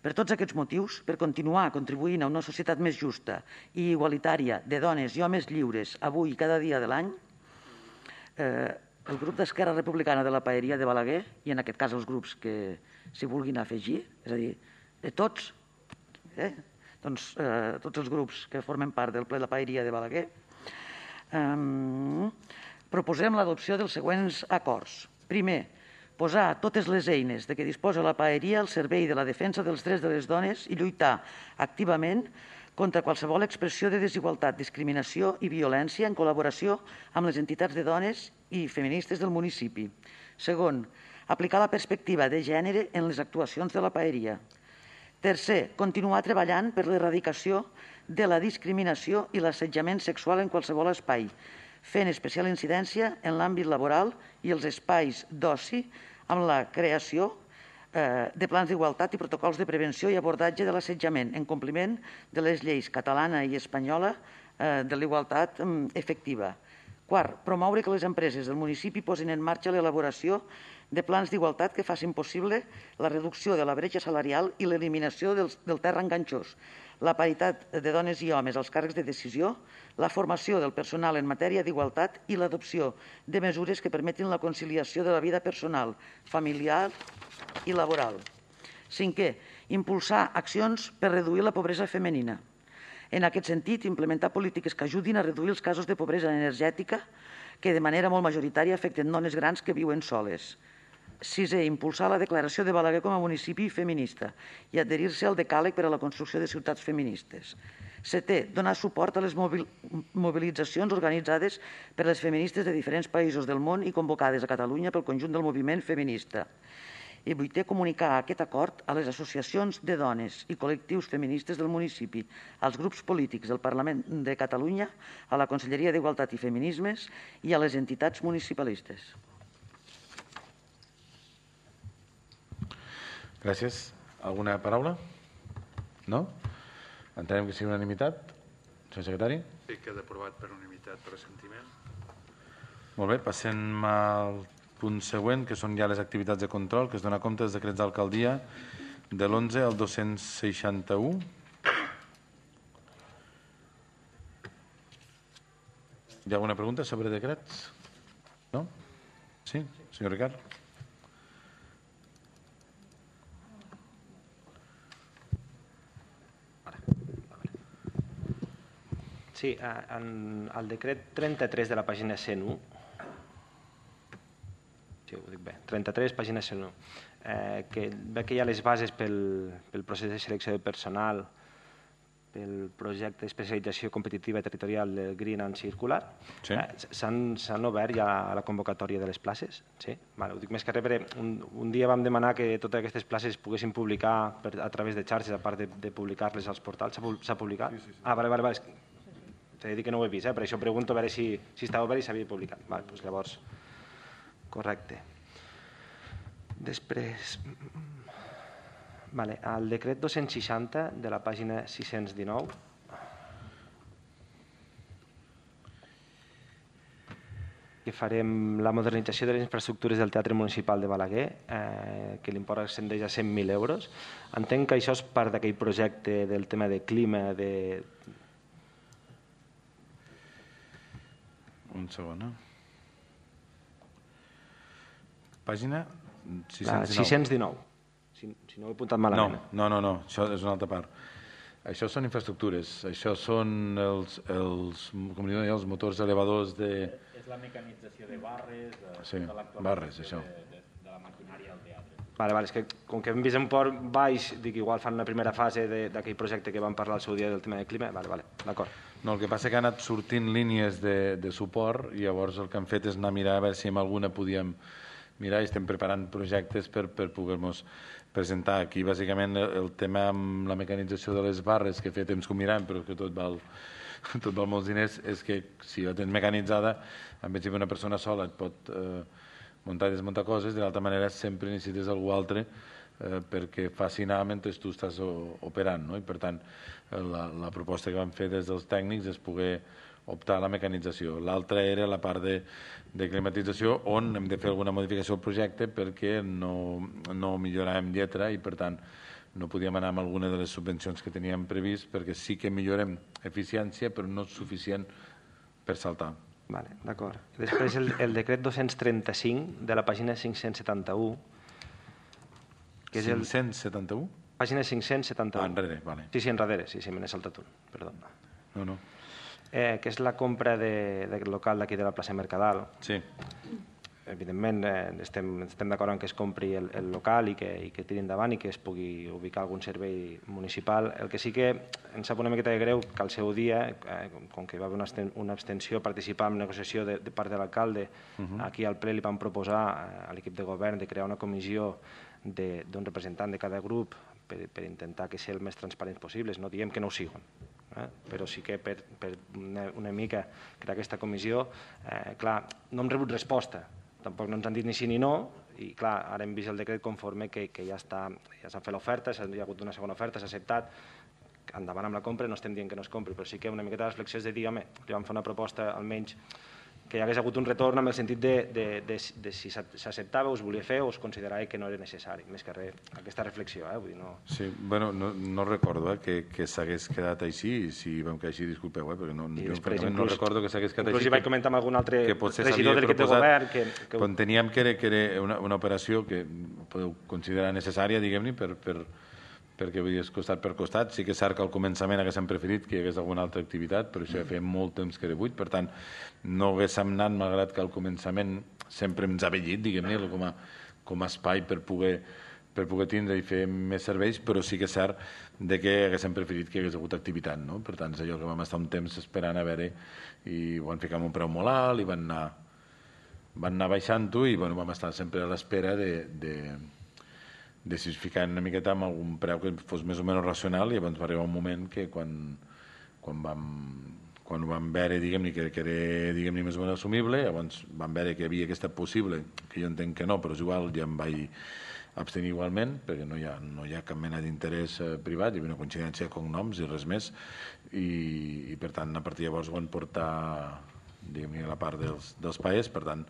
Per tots aquests motius, per continuar contribuint a una societat més justa i igualitària de dones i homes lliures avui i cada dia de l'any, el grup d'Esquerra Republicana de la Paeria de Balaguer, i en aquest cas els grups que s'hi vulguin afegir, és a dir, de tots, doncs, tots els grups que formen part del ple de la Paeria de Balaguer, proposem l'adopció dels següents acords. Primer, posar totes les eines de què disposa la Paeria al servei de la defensa dels drets de les dones i lluitar activament contra qualsevol expressió de desigualtat, discriminació i violència en col·laboració amb les entitats de dones i feministes del municipi. Segon, aplicar la perspectiva de gènere en les actuacions de la Paeria. Tercer, continuar treballant per l'erradicació de la discriminació i l'assetjament sexual en qualsevol espai, fent especial incidència en l'àmbit laboral i els espais d'oci amb la creació de plans d'igualtat i protocols de prevenció i abordatge de l'assetjament en compliment de les lleis catalana i espanyola de l'igualtat efectiva. Quart, promoure que les empreses del municipi posin en marxa l'elaboració de plans d'igualtat que facin possible la reducció de la bretxa salarial i l'eliminació del terra enganxós, la paritat de dones i homes als càrrecs de decisió, la formació del personal en matèria d'igualtat i l'adopció de mesures que permetin la conciliació de la vida personal, familiar i laboral. Cinquè, impulsar accions per reduir la pobresa femenina. En aquest sentit, implementar polítiques que ajudin a reduir els casos de pobresa energètica que de manera molt majoritària afecten dones grans que viuen soles. Sisè, impulsar la declaració de Balaguer com a municipi feminista i adherir-se al decàleg per a la construcció de ciutats feministes. Setè, donar suport a les mobilitzacions organitzades per les feministes de diferents països del món i convocades a Catalunya pel conjunt del moviment feminista. I vuitè, comunicar aquest acord a les associacions de dones i col·lectius feministes del municipi, als grups polítics del Parlament de Catalunya, a la Conselleria d'Igualtat i Feminismes i a les entitats municipalistes. Gràcies. Alguna paraula? No? Entenem que sigui unanimitat? Senyor secretari? Sí, queda aprovat per unanimitat per assentiment. Molt bé, passem al punt següent, que són ja les activitats de control, que es dona compte dels decrets d'alcaldia de l'11 al 261. Hi ha alguna pregunta sobre decrets? No? Sí, senyor Ricard? Sí, el decret 33 de la pàgina 101, sí, ho dic bé, 33, pàgina 101, que ve que hi ha les bases pel procés de selecció de personal pel projecte d'especialització competitiva territorial del Green and Circular. Sí. S'han obert ja la convocatòria de les places? Sí? Ho dic més que res perquè un dia vam demanar que totes aquestes places es poguessin publicar a través de xarxes, a part de publicar-les als portals. S'ha publicat? Sí. Ah, vale. T'he de dir que no ho he vist, per això pregunto a veure si estava obert i s'havia publicat. Doncs llavors, correcte. Després, el decret 260 de la pàgina 619, que farem la modernització de les infraestructures del Teatre Municipal de Balaguer, que l'import ascendeix a 100.000 euros. Entenc que això és part d'aquell projecte del tema de clima, Un segon, Pàgina 619. Si no ho he apuntat malament. No, això és una altra part. Això són infraestructures, això són els motors elevadors de... És la mecanització de barres, barres, això. De la maquinària al teatre. Vale, és que com que hem vist un port baix, dic igual fan una primera fase d'aquell projecte que vam parlar al seu dia del tema de clima, d'acord. No, el que passa que han anat sortint línies de suport i llavors el que han fet és anar a mirar a veure si amb alguna podíem mirar i estem preparant projectes per poder-nos presentar. Aquí, bàsicament, el tema amb la mecanització de les barres, que fa temps que ho mirem, però que tot val molts diners, és que si la tens mecanitzada, en principi una persona sola et pot muntar i desmuntar coses, de l'altra manera sempre necessites algú altre perquè faci anar mentre tu estàs operant, no? I per tant, la proposta que vam fer des dels tècnics és poder optar a la mecanització. L'altra era la part de climatització, on hem de fer alguna modificació al projecte perquè no milloràvem lletra i, per tant, no podíem anar amb alguna de les subvencions que teníem previst perquè sí que millorem eficiència, però no és suficient per saltar. D'acord. Després el decret 235 de la pàgina 571. 571? Pàgina 571. Enrere, vale. Sí, enrere, sí, me n'he saltat un, perdó. No. Que és la compra del local d'aquí de la plaça Mercadal. Sí. Evidentment, estem d'acord en que es compri el local i que tiri endavant i que es pugui ubicar algun servei municipal. El que sí que em sap una miqueta de greu que al seu dia, com que hi va haver una abstenció, participar en negociació de part de l'alcalde, aquí al ple li vam proposar a l'equip de govern de crear una comissió d'un representant de cada grup per intentar que sigui el més transparents possibles. No diem que no ho siguin, però sí que per una mica crear aquesta comissió, clar, no hem rebut resposta, tampoc no ens han dit ni sí ni no, i clar, ara hem vist el decret conforme que ja s'ha fet l'oferta, hi ha hagut una segona oferta, s'ha acceptat, endavant amb la compra, no estem dient que no es compri, però sí que una miqueta de reflexió és de dir, home, li vam fer una proposta almenys que hi hagués hagut un retorn amb el sentit de si s'acceptava o es volia fer o es considerava que no era necessari, més que res, aquesta reflexió. Vull dir, no... Sí, bueno, no recordo que s'hagués quedat així, i si vam quedar així, disculpeu, perquè no recordo que s'hagués quedat així. Inclús hi vaig comentar amb algun altre regidor de l'equip de govern que... Quan teníem que era una operació que podeu considerar necessària, diguem-ne, perquè vull dir, és costat per costat. Sí que és cert que al començament haguéssim preferit que hi hagués alguna altra activitat, però això ja feia molt temps que era buit, per tant, no haguéssim anat, malgrat que al començament sempre ens ha vellit, diguem-ne, com a espai per poder tindre i fer més serveis, però sí que és cert que haguéssim preferit que hi hagués hagut activitat, no? Per tant, és allò que vam estar un temps esperant a veure i ho van ficar amb un preu molt alt i van anar baixant-ho i vam estar sempre a l'espera de si es ficaven una miqueta amb algun preu que fos més o menys racional, i llavors va arribar un moment que quan ho vam veure, diguem-ne, que era més o menys assumible, llavors vam veure que havia aquesta possible, que jo entenc que no, però és igual, ja em vaig abstenir igualment, perquè no hi ha cap mena d'interès privat, hi havia una coincidència de cognoms i res més, i per tant, a partir de llavors ho van portar, diguem-ne, a la part dels paers, per tant,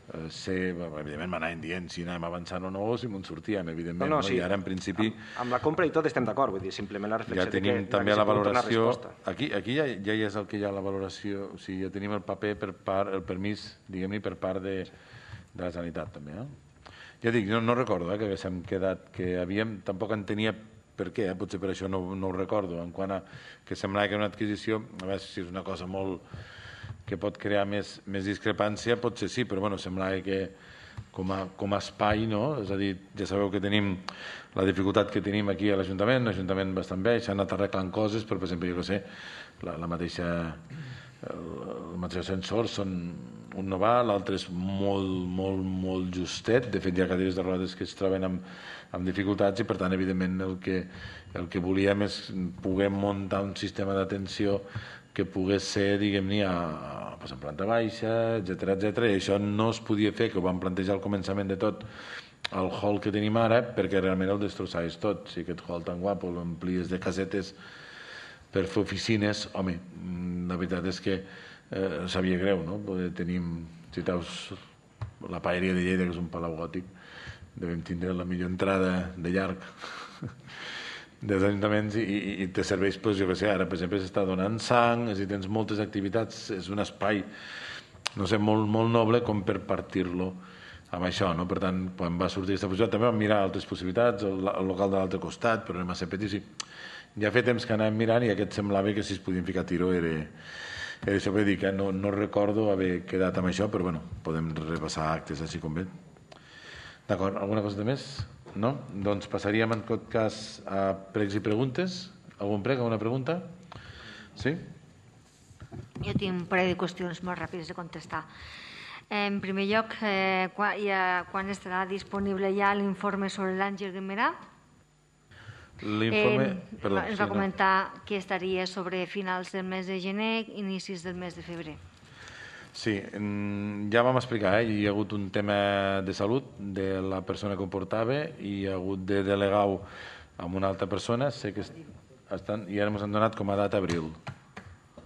evidentment m'anaven dient si anàvem avançant o no, o si m'en sortíem, evidentment, i ara en principi... Amb la compra i tot estem d'acord, vull dir, simplement la reflexió... Ja tenim també la valoració... Aquí ja és el que hi ha la valoració, o sigui, ja tenim el paper el permís, diguem-ne, per part de la Generalitat, també. Ja dic, no recordo que haguéssim quedat, que havíem... Tampoc en tenia per què, potser per això no ho recordo, en quant a que semblava que era una adquisició, a veure si és una cosa molt... que pot crear més discrepància, potser sí, però bueno, semblava que com a espai, no? És a dir, ja sabeu que tenim la dificultat que tenim aquí a l'Ajuntament, un Ajuntament bastant vell, s'han anat arreglant coses, però, per exemple, jo què sé, la mateixa els mateixos ascensors són un no va, l'altre és molt justet, de fet hi ha cadires de rodes que es troben amb dificultats i per tant evidentment el que volíem és poder muntar un sistema d'atenció que pogués ser, diguem-ne, en planta baixa, etc. I això no es podia fer, que ho vam plantejar al començament de tot, el hall que tenim ara, perquè realment el destrossaves tot. Si aquest hall tan guapo l'amplies de casetes per fer oficines, home, la veritat és que sabia greu, no? Tenim, si veus la paeria de Lleida, que és un palau gòtic, devem tindre la millor entrada de llarg dels ajuntaments i te serveix, jo què sé, ara per exemple s'està donant sang, és a dir, tens moltes activitats, és un espai, no sé, molt noble com per partir-lo amb això, no? Per tant, quan va sortir aquesta fusió també vam mirar altres possibilitats, el local de l'altre costat, però era massa petit, ja fa temps que anàvem mirant i aquest semblava que si es podien ficar tiro era això que dic, no recordo haver quedat amb això, però bueno, podem repassar actes així com bé. D'acord, alguna cosa de més? No? Doncs passaríem en tot cas a pregs i preguntes. Algun prec, alguna pregunta? Sí? Jo tinc un parell de qüestions molt ràpides de contestar. En primer lloc, quan estarà disponible ja l'informe sobre l'Àngel Guimerà? Ens va comentar que estaria sobre finals del mes de gener, inicis del mes de febrer. Sí, ja vam explicar, hi ha hagut un tema de salut de la persona que ho portava i hi ha hagut de delegar-ho amb una altra persona, sé que i ara ens han donat com a data abril.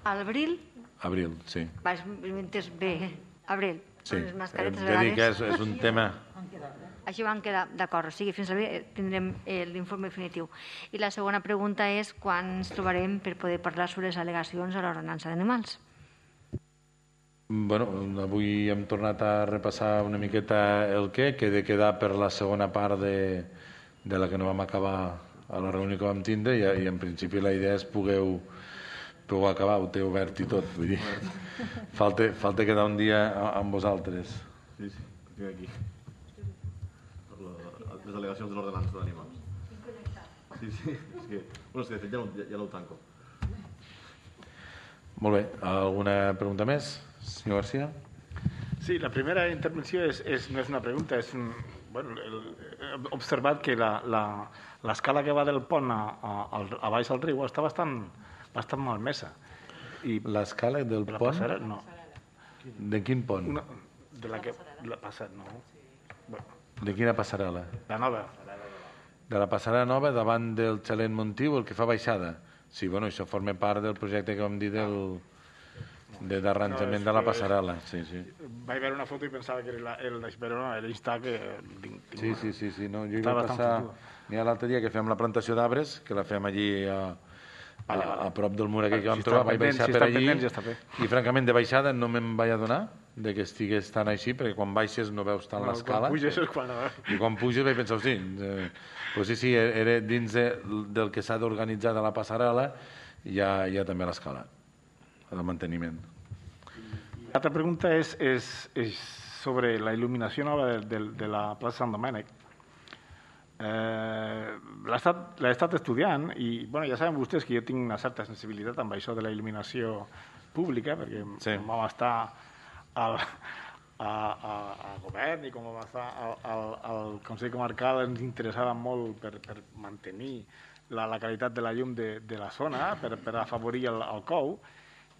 Abril? Abril, sí. M'he entès bé, abril. Sí, hem de dir que és un tema... Així van quedar d'acord, o sigui, fins a abril tindrem l'informe definitiu. I la segona pregunta és quan ens trobarem per poder parlar sobre les al·legacions a l'ordenança d'animals. Bueno, avui hem tornat a repassar una miqueta el que he de quedar per la segona part de la que no vam acabar a la reunió que vam tindre i en principi la idea és poder acabar, ho té obert i tot, vull dir, falta quedar un dia amb vosaltres. Sí, aquí. Les delegacions de l'ordenança d'animals. Sí, és que de fet ja no ho tanco. Molt bé, alguna pregunta més? Senyor García? Sí, la primera intervenció no és una pregunta, és he observat que l'escala que va del pont a baix al riu està bastant malmesa. L'escala del pont? No. De quin pont? De la que la passa, no. De quina passarel·la? La nova. De la passarel·la nova davant del xalet Montiu, el que fa baixada. Sí, bueno, això forma part del projecte que vam dir d'arranjament de la passarel·la. Sí. Vaig veure una foto i pensava que era però no, era instar que... Sí, no, jo hi vaig passar... N'hi ha l'altre dia que fem la plantació d'arbres, que la fem allí a prop del mur aquell que vam trobar, vaig baixar per allí i francament de baixada no me'n vaig adonar de que estigués tan així, perquè quan baixes no veus tant l'escala. I quan puges vaig pensar, sí, era dins del que s'ha d'organitzar de la passarel·la, hi ha també l'escala, el manteniment. L'altra pregunta és sobre la il·luminació nova de la plaça Sant Domènec. L'he estat estudiant i ja saben vostès que jo tinc una certa sensibilitat amb això de la il·luminació pública, perquè vam estar al govern i com vam estar al Consell Comarcal ens interessava molt per mantenir la qualitat de la llum de la zona, per afavorir el COU,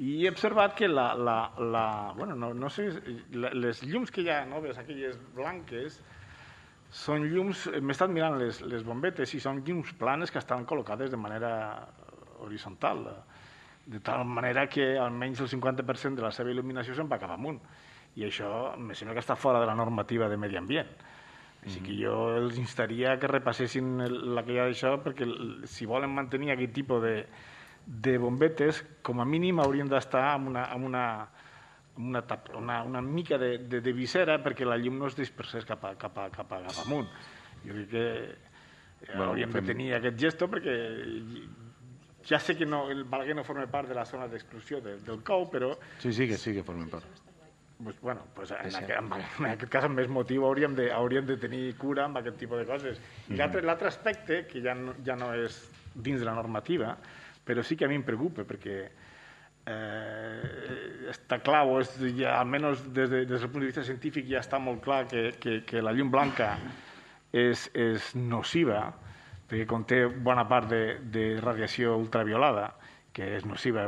i he observat que no sé, les llums que hi ha noves, aquelles blanques, són llums, m'he estat mirant les bombetes i són llums planes que estan col·locades de manera horitzontal, de tal manera que almenys el 50% de la seva il·luminació se'n va cap amunt. I això em sembla que està fora de la normativa de medi ambient. Així que jo els instaria que repassessin la que hi ha d'això, perquè si volen mantenir aquest tipus de bombetes, com a mínim haurien d'estar amb una mica de visera perquè la llum no es dispersés cap amunt. Jo crec que hauríem de tenir aquest gesto perquè ja sé que el Balaguer no forma part de la zona d'exclusió del COU, però... Sí que forma part. en aquest cas, amb més motiu, hauríem de tenir cura amb aquest tipus de coses. I l'altre aspecte, que ja no és dins de la normativa, però sí que a mi em preocupa, perquè està clar, almenys des del punt de vista científic ja està molt clar que la llum blanca és nociva, perquè conté bona part de radiació ultraviolada, que és nociva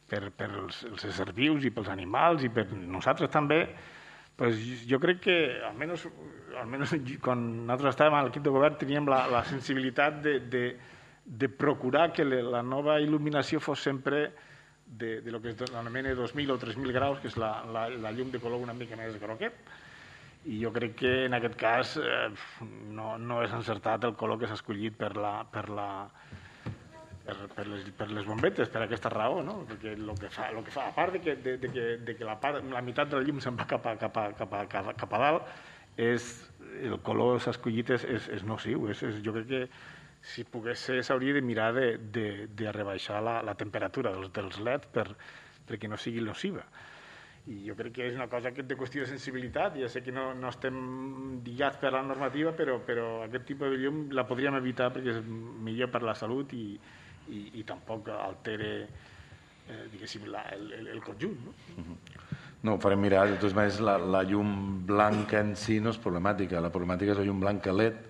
per els éssers vius i pels animals i per nosaltres també. Jo crec que, almenys quan nosaltres estàvem a l'equip de govern, teníem la sensibilitat de procurar que la nova il·luminació fos sempre de lo que s'anomena 2.000 o 3.000 graus, que és la llum de color una mica més groguet. I jo crec que en aquest cas no és encertat el color que s'ha escollit per les bombetes, per aquesta raó, no? Perquè el que fa, a part de que la meitat de la llum se'n va cap a dalt, el color s'ha escollit és nociu. Jo crec que si pogués ser s'hauria de mirar de rebaixar la temperatura dels LEDs perquè no sigui nociva. I jo crec que és una cosa de qüestió de sensibilitat. Ja sé que no estem lligats per la normativa, però aquest tipus de llum la podríem evitar perquè és millor per la salut i tampoc altera, diguéssim, el conjunt. No, ho farem mirar. De totes maneres, la llum blanca en si no és problemàtica. La problemàtica és la llum blanca LED,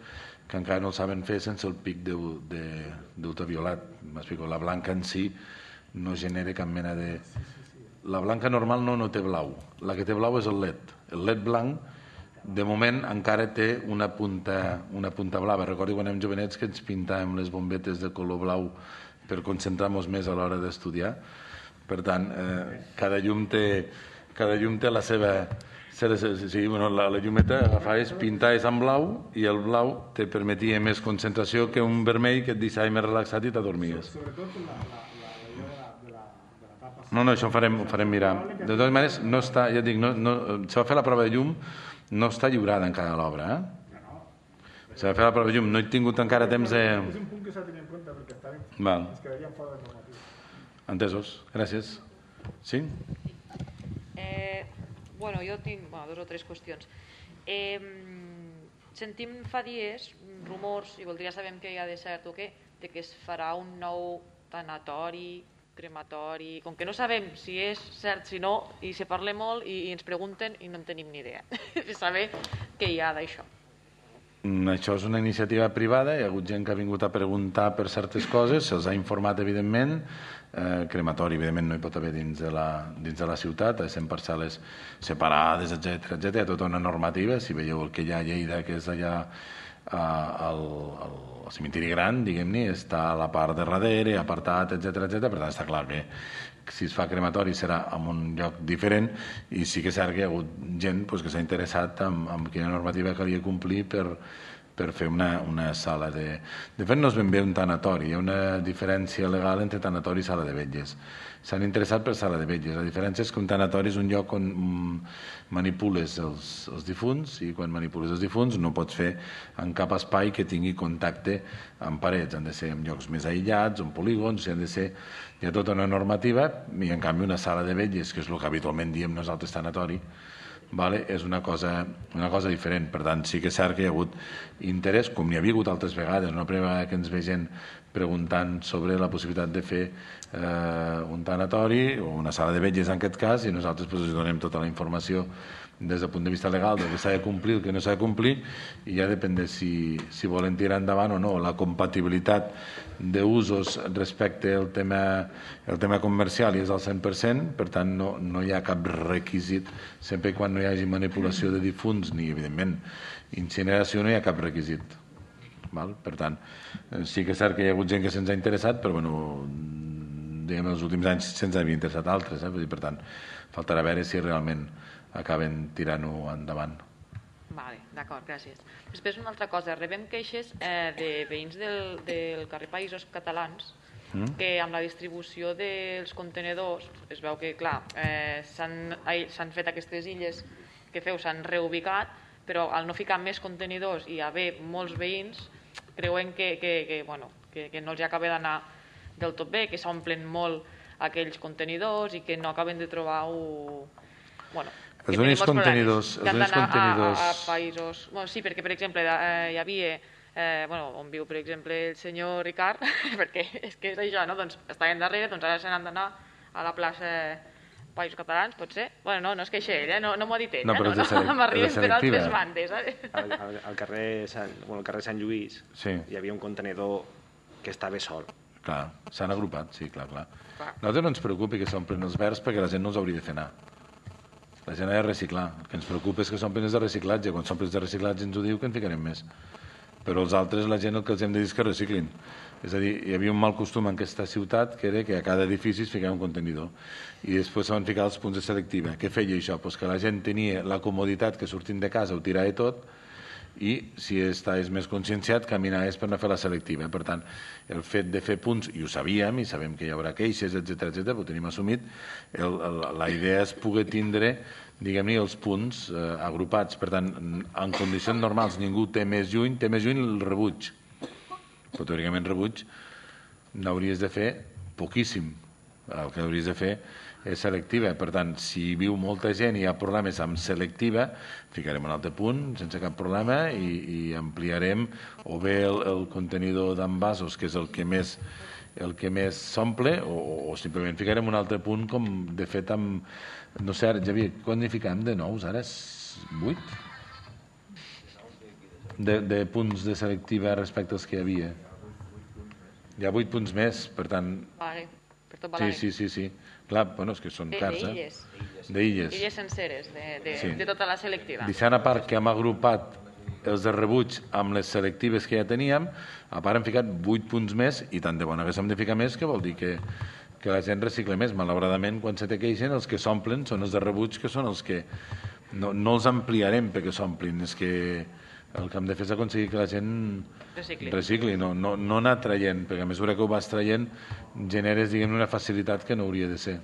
que encara no el saben fer sense el pic d'ultraviolat. M'explico, la blanca en si no genera cap mena de... La blanca normal no té blau. La que té blau és el LED. El LED blanc, de moment, encara té una punta blava. Recordo quan érem jovenets que ens pintàvem les bombetes de color blau per concentrar-nos més a l'hora d'estudiar. Per tant, cada llum té la seva... La llumeta agafaves, pintaves en blau i el blau te permetia més concentració que un vermell que et deixava més relaxat i t'adormies. Sobretot la de la tapa. No, això ho farem mirar. De totes maneres, no està, ja et dic, se va fer la prova de llum, no està lliurada encara l'obra. Se va fer la prova de llum, no he tingut encara temps de... És un punt que s'ha de tenir en compte perquè ens quedaríem fora de normativa. Entesos, gràcies. Sí? Bueno, jo tinc dos o tres qüestions. Sentim fa dies rumors, i voldria saber què hi ha de cert o què, de que es farà un nou tanatori, crematori, com que no sabem si és cert, si no, i se parla molt i ens pregunten i no en tenim ni idea de saber què hi ha d'això. Això és una iniciativa privada, hi ha hagut gent que ha vingut a preguntar per certes coses, se'ls ha informat, evidentment. Crematori, evidentment, no hi pot haver dins de la ciutat, ha de ser en parcel·les separades, etc. Hi ha tota una normativa. Si veieu el que hi ha a Lleida, que és allà al cementiri gran, diguem-ne, està a la part de darrere, apartat, etc. Per tant, està clar que si es fa crematori serà en un lloc diferent, i sí que és cert que hi ha hagut gent que s'ha interessat en quina normativa calia complir per fer una sala de... De fet, no és ben bé un tanatori, hi ha una diferència legal entre tanatori i sala de vetlles. S'han interessat per sala de vetlles. La diferència és que un tanatori és un lloc on manipules els difunts, i quan manipules els difunts no pots fer en cap espai que tingui contacte amb parets. Han de ser en llocs més aïllats, en polígons, hi ha tota una normativa, i en canvi una sala de vetlles, que és el que habitualment diem nosaltres tanatori, és una cosa diferent. Per tant, sí que és cert que hi ha hagut interès, com n'hi havia hagut altres vegades, una primera vegada que ens ve gent preguntant sobre la possibilitat de fer un tanatori o una sala de vetlles en aquest cas, i nosaltres els donem tota la informació des del punt de vista legal del que s'ha de complir, el que no s'ha de complir, i ja depèn de si volen tirar endavant o no. La compatibilitat d'usos respecte al tema comercial és al 100%, per tant no hi ha cap requisit, sempre quan no hi hagi manipulació de difunts ni, evidentment, incineració, no hi ha cap requisit. Per tant, sí que és cert que hi ha hagut gent que se'ns ha interessat, però diguem, els últims anys se'ns havia interessat altres, per tant, faltarà veure si realment acaben tirant-ho endavant. Vale, d'acord, gràcies. Després una altra cosa, rebem queixes de veïns del carrer Països Catalans que amb la distribució dels contenedors es veu que, clar, s'han fet aquestes illes que s'han reubicat, però al no ficar més contenidors i haver molts veïns, creuen que no els acaba d'anar del tot bé, que s'omplen molt aquells contenidors i que no acaben de trobar Els únics contenidors... Que han d'anar a països... Sí, perquè, per exemple, hi havia... on viu, per exemple, el senyor Ricard, perquè és que és això, no? Doncs estaven darrere, doncs ara se n'han d'anar a la plaça Països Catalans, pot ser? Bueno, no és que això ell, no m'ho ha dit ell, no, m'arriben per altres bandes. Al carrer Sant Lluís hi havia un contenidor que estava sol. Clar, s'han agrupat, sí, clar. Nosaltres no ens preocupi que s'omplen els verds perquè la gent no els hauria de fer anar. La gent ha de reciclar. El que ens preocupa és que s'omplen els de reciclatge. Quan s'omplen els de reciclatge ens ho diu que en ficarem més. Però els altres, la gent el que els hem de dir és que reciclin. És a dir, hi havia un mal costum en aquesta ciutat que era que a cada edifici es ficava un contenidor i després se van ficar els punts de selectiva. Què feia això? Pues que la gent tenia la comoditat que sortint de casa ho tirava tot i si estaves més conscienciat caminaves per anar a fer la selectiva. Per tant, el fet de fer punts, i ho sabíem, i sabem que hi haurà queixes, etc, ho tenim assumit, la idea és poder tindre diguem-ne, els punts agrupats. Per tant, en condicions normals ningú té més lluny el rebuig. Però teòricament rebuig n'hauries de fer poquíssim. El que hauries de fer és selectiva. Per tant, si viu molta gent i hi ha problemes amb selectiva, ficarem un altre punt sense cap problema i ampliarem o bé el contenidor d'envasos, que és el que més s'omple, o simplement ficarem un altre punt com de fet amb... No sé, Javier, quan n'hi fiquem de nous? Ara és 8? De punts de selectiva respecte als que hi havia. Hi ha 8 punts més, per tant... Vale, per tot Balany. Sí. Clar, bueno, és que són cars, D'illes senceres, de tota la selectiva. Deixant a part que hem agrupat els de rebuig amb les selectives que ja teníem, a part hem ficat 8 punts més, i tant de bona que s'hem de ficar més, que vol dir que la gent recicle més. Malauradament, quan se te queixen, els que s'omplen són els de rebuig, que són els que no els ampliarem perquè s'omplin, és que el que hem de fer és aconseguir que la gent recicli, no anar traient, perquè a mesura que ho vas traient generes, diguem, una facilitat que no hauria de ser.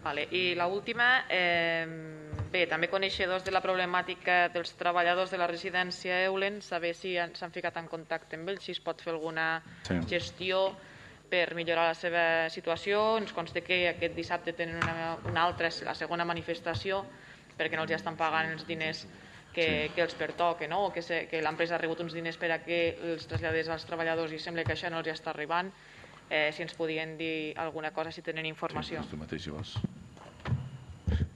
Vale. I l'última, bé, també coneixedors de la problemàtica dels treballadors de la residència Eulen, saber si s'han ficat en contacte amb ells, si es pot fer alguna gestió per millorar la seva situació. Ens consta que aquest dissabte tenen una altra, la segona manifestació, perquè no els estan pagant els diners que els pertoquen, o que l'empresa ha rebut uns diners per a que els traslladés als treballadors i sembla que això no els està arribant. Si ens podien dir alguna cosa, si tenen informació. Sí, tu mateix, si vols.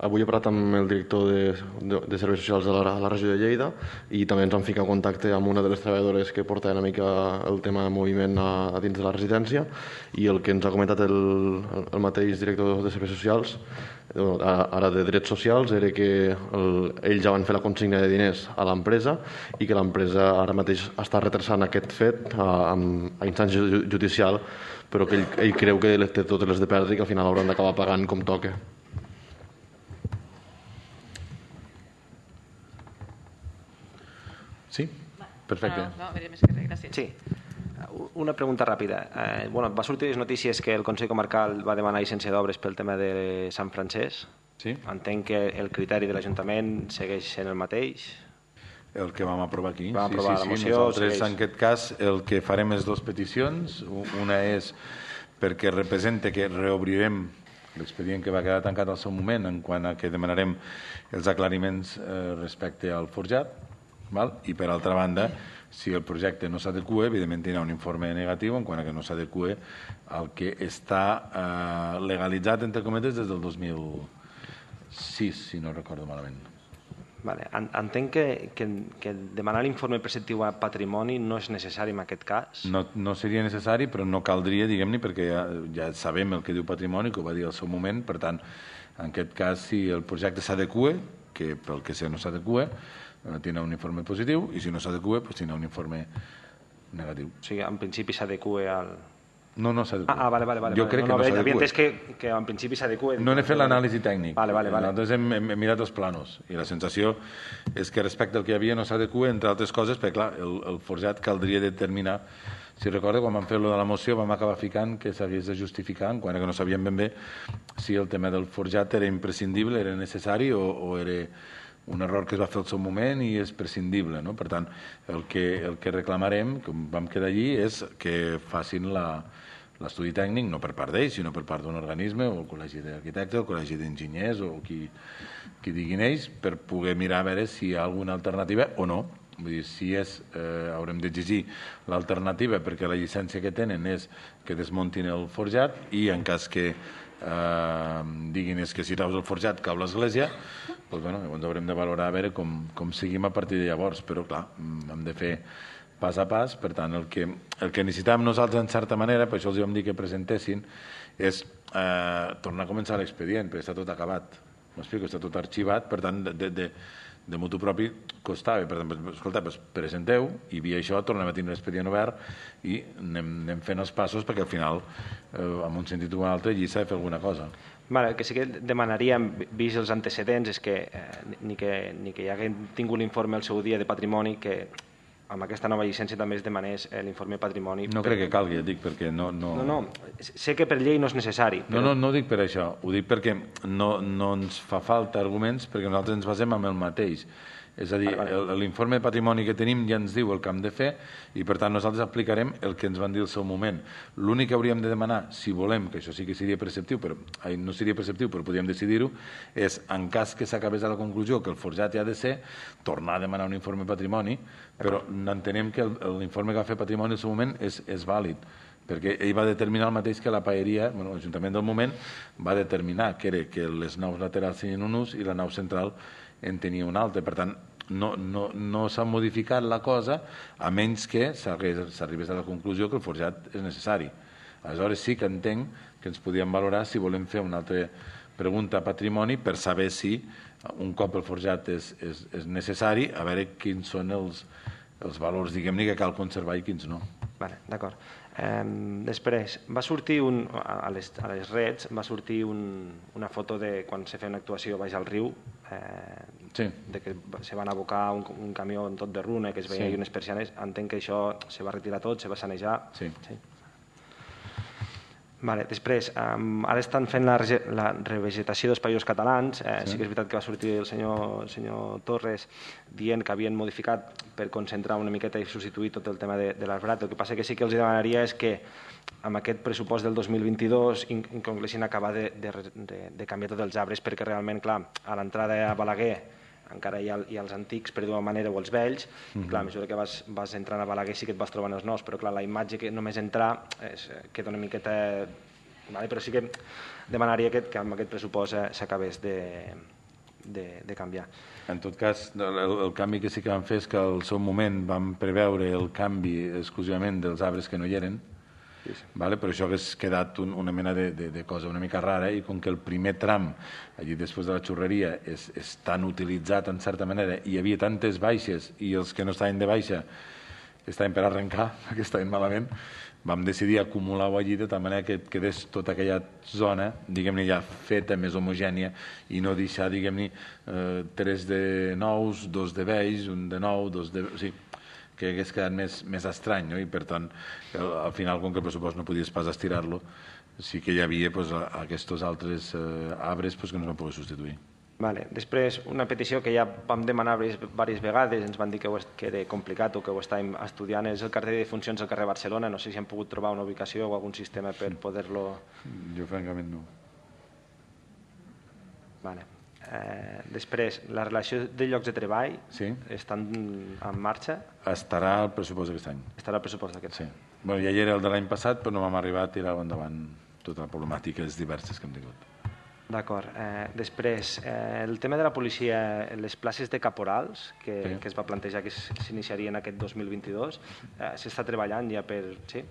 Avui he parlat amb el director de Serveis Socials de la regió de Lleida i també ens han ficat en contacte amb una de les treballadores que porta una mica el tema de moviment a dins de la residència, i el que ens ha comentat el mateix director de Serveis Socials, ara de Drets Socials, era que ells ja van fer la consigna de diners a l'empresa i que l'empresa ara mateix està retrasant aquest fet a instància judicial, però que ell creu que té totes les de perdre i que al final hauran d'acabar pagant com toca. Sí, perfecte. Gràcies. Sí, una pregunta ràpida. Va sortir les notícies que el Consell Comarcal va demanar llicència d'obres pel tema de Sant Francesc. Sí. Entenc que el criteri de l'Ajuntament segueix sent el mateix. El que vam aprovar aquí. Vam aprovar la moció. Nosaltres, en aquest cas, el que farem és 2 peticions. Una és perquè representa que reobrirem l'expedient que va quedar tancat al seu moment, en quant a que demanarem els aclariments respecte al forjat. I per altra banda, si el projecte no s'adequa, evidentment tindrà un informe negatiu en quant a que no s'adequa al que està legalitzat, entre cometes, des del 2006, si no recordo malament. Entenc que demanar l'informe preceptiu a patrimoni no és necessari en aquest cas? No seria necessari, però no caldria, diguem-ne, perquè ja sabem el que diu patrimoni, que ho va dir al seu moment. Per tant, en aquest cas, si el projecte s'adequa, que pel que sé no s'adequa, tindrà un informe positiu, i si no s'adequa, tindrà un informe negatiu. O sigui, en principi s'adequa al... No s'adequa. Vale. Jo crec que no s'adequa. Havia entès que en principi s'adequa. No n'he fet l'anàlisi tècnic. Vale. Nosaltres hem mirat els planos i la sensació és que respecte al que hi havia no s'adequa, entre altres coses, perquè clar, el forjat caldria determinar. Si recorda, quan vam fer lo de la moció vam acabar ficant que s'hagués de justificar, quan que no sabíem ben bé si el tema del forjat era imprescindible, era necessari o era un error que es va fer al seu moment i és prescindible. Per tant, el que reclamarem, com vam quedar allí, és que facin l'estudi tècnic, no per part d'ells, sinó per part d'un organisme, o el Col·legi d'Arquitectes, el Col·legi d'Enginyers, o qui diguin ells, per poder mirar a veure si hi ha alguna alternativa o no. Vull dir, si haurem d'exigir l'alternativa perquè la llicència que tenen és que desmuntin el forjat i en cas que diguin que si traus el forjat cau l'església, doncs, llavors haurem de valorar a veure com seguim a partir de llavors, però clar, hem de fer pas a pas. Per tant, el que necessitàvem nosaltres en certa manera, per això els vam dir que presentessin, és tornar a començar l'expedient, perquè està tot acabat, m'explico, està tot arxivat, per tant, de mutu propi costava. Per tant, escolta, presenteu i via això tornem a tenir l'expedient obert i anem fent els passos perquè al final, en un sentit o un altre, allí s'ha de fer alguna cosa. El que sí que demanaríem, vist els antecedents, és que ni que hi haguem tingut l'informe al seu dia de patrimoni, que amb aquesta nova llicència també es demanés l'informe patrimoni. No crec que calgui, dic, perquè no... No, sé que per llei no és necessari. No ho dic per això, ho dic perquè no ens fa falta arguments, perquè nosaltres ens basem en el mateix. És a dir, l'informe de patrimoni que tenim ja ens diu el que hem de fer i, per tant, nosaltres aplicarem el que ens van dir al seu moment. L'únic que hauríem de demanar, si volem, que això sí que seria preceptiu, però no seria preceptiu, però podríem decidir-ho, és, en cas que s'acabés a la conclusió que el forjat ja ha de ser, tornar a demanar un informe de patrimoni, però entenem que l'informe que va fer patrimoni al seu moment és vàlid, perquè ell va determinar el mateix que la paeria, l'Ajuntament del moment va determinar que era que les naus laterals tenien un ús i la nau central en tenia un altre. Per tant, no s'ha modificat la cosa a menys que s'arribés a la conclusió que el forjat és necessari. Aleshores sí que entenc que ens podíem valorar si volem fer una altra pregunta a patrimoni per saber si un cop el forjat és necessari, a veure quins són els valors, diguem-ne, que cal conservar i quins no. D'acord. Després, va sortir a les reds va sortir una foto de quan se feia una actuació baix al riu, de que se van abocar un camió tot de runa, que es veia unes persianes. Entenc que això se va retirar tot, se va sanejar. Després, ara estan fent la revegetació dels països catalans. Sí que és veritat que va sortir el senyor Torres dient que havien modificat per concentrar una miqueta i substituir tot el tema de l'arbrat. El que passa que sí que els demanaria és que amb aquest pressupost del 2022 incloguessin acabar de canviar tots els arbres, perquè realment, clar, a l'entrada a Balaguer encara hi ha els antics, per d'una manera, o els vells. Clar, a mesura que vas entrant a Balaguer sí que et vas trobant els nous, però clar, la imatge que només entrar queda una miqueta... Però sí que demanaria que amb aquest pressupost s'acabés de canviar. En tot cas, el canvi que sí que vam fer és que al seu moment vam preveure el canvi exclusivament dels arbres que no hi eren, però això hauria quedat una mena de cosa una mica rara, i com que el primer tram, allí després de la xurreria, és tan utilitzat en certa manera, i hi havia tantes baixes i els que no estaven de baixa estaven per arrencar, que estaven malament, vam decidir acumular-ho allí de tal manera que quedés tota aquella zona, diguem-ne, ja feta, més homogènia, i no deixar, diguem-ne, 3 de nous, 2 de vells, 1 de nou, 2 de... O sigui, que hagués quedat més estrany, i per tant, al final, com que el pressupost no podies pas estirar-lo, sí que hi havia aquests altres arbres que no es van poder substituir. Després, una petició que ja vam demanar diverses vegades, ens van dir que era complicat o que ho estàvem estudiant, és el carrer de funcions al carrer Barcelona. No sé si hem pogut trobar una ubicació o algun sistema per poder-lo... Jo, francament, no. Després, la relació de llocs de treball estan en marxa? Estarà al pressupost d'aquest any. Estarà al pressupost d'aquest any. Ja hi era el de l'any passat, però no vam arribar a tirar endavant totes les problemàtiques diverses que hem tingut. D'acord. Després, el tema de la policia, les places de caporals, que es va plantejar que s'iniciarien aquest 2022, s'està treballant ja per... Sí?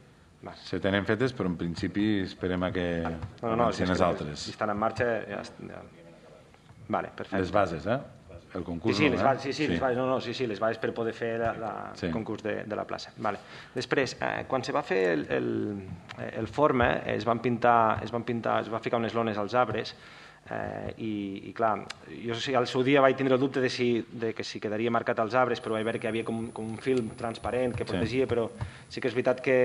Se tenen fetes, però en principi esperem que avancin les altres. Si estan en marxa... Les bases, el concurs. Sí, les bases per poder fer el concurs de la plaça. Després, quan se va fer el forma, es va ficar unes lones als arbres i clar, jo al seu dia vaig tindre el dubte de que si quedaria marcat als arbres, però vaig veure que hi havia com un film transparent que protegia, però sí que és veritat que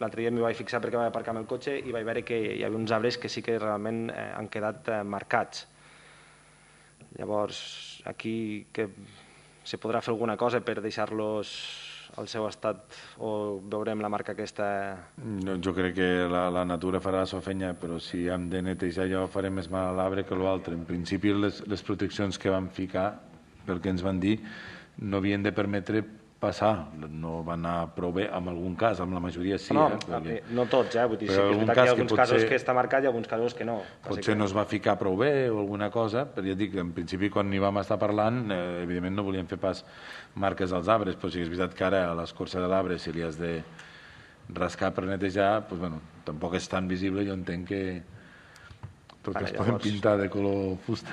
l'altre dia m'hi vaig fixar perquè vaig aparcar amb el cotxe i vaig veure que hi havia uns arbres que sí que realment han quedat marcats. Llavors, aquí se podrà fer alguna cosa per deixar-los al seu estat o veurem la marca aquesta? Jo crec que la natura farà la seva feina, però si hem de netejar allò farem més mal a l'arbre que l'altre. En principi les proteccions que vam ficar, pel que ens van dir, no havien de permetre passar, no va anar prou bé en algun cas, en la majoria sí. No tots, vull dir, sí que és veritat que hi ha alguns casos que està marcat i alguns casos que no. Potser no es va ficar prou bé o alguna cosa, però ja dic, en principi quan hi vam estar parlant, evidentment no volíem fer pas marques als arbres, però sí que és veritat que ara a l'escorça de l'arbre, si li has de rascar per netejar, tampoc és tan visible, jo entenc que tot es poden pintar de color fusta.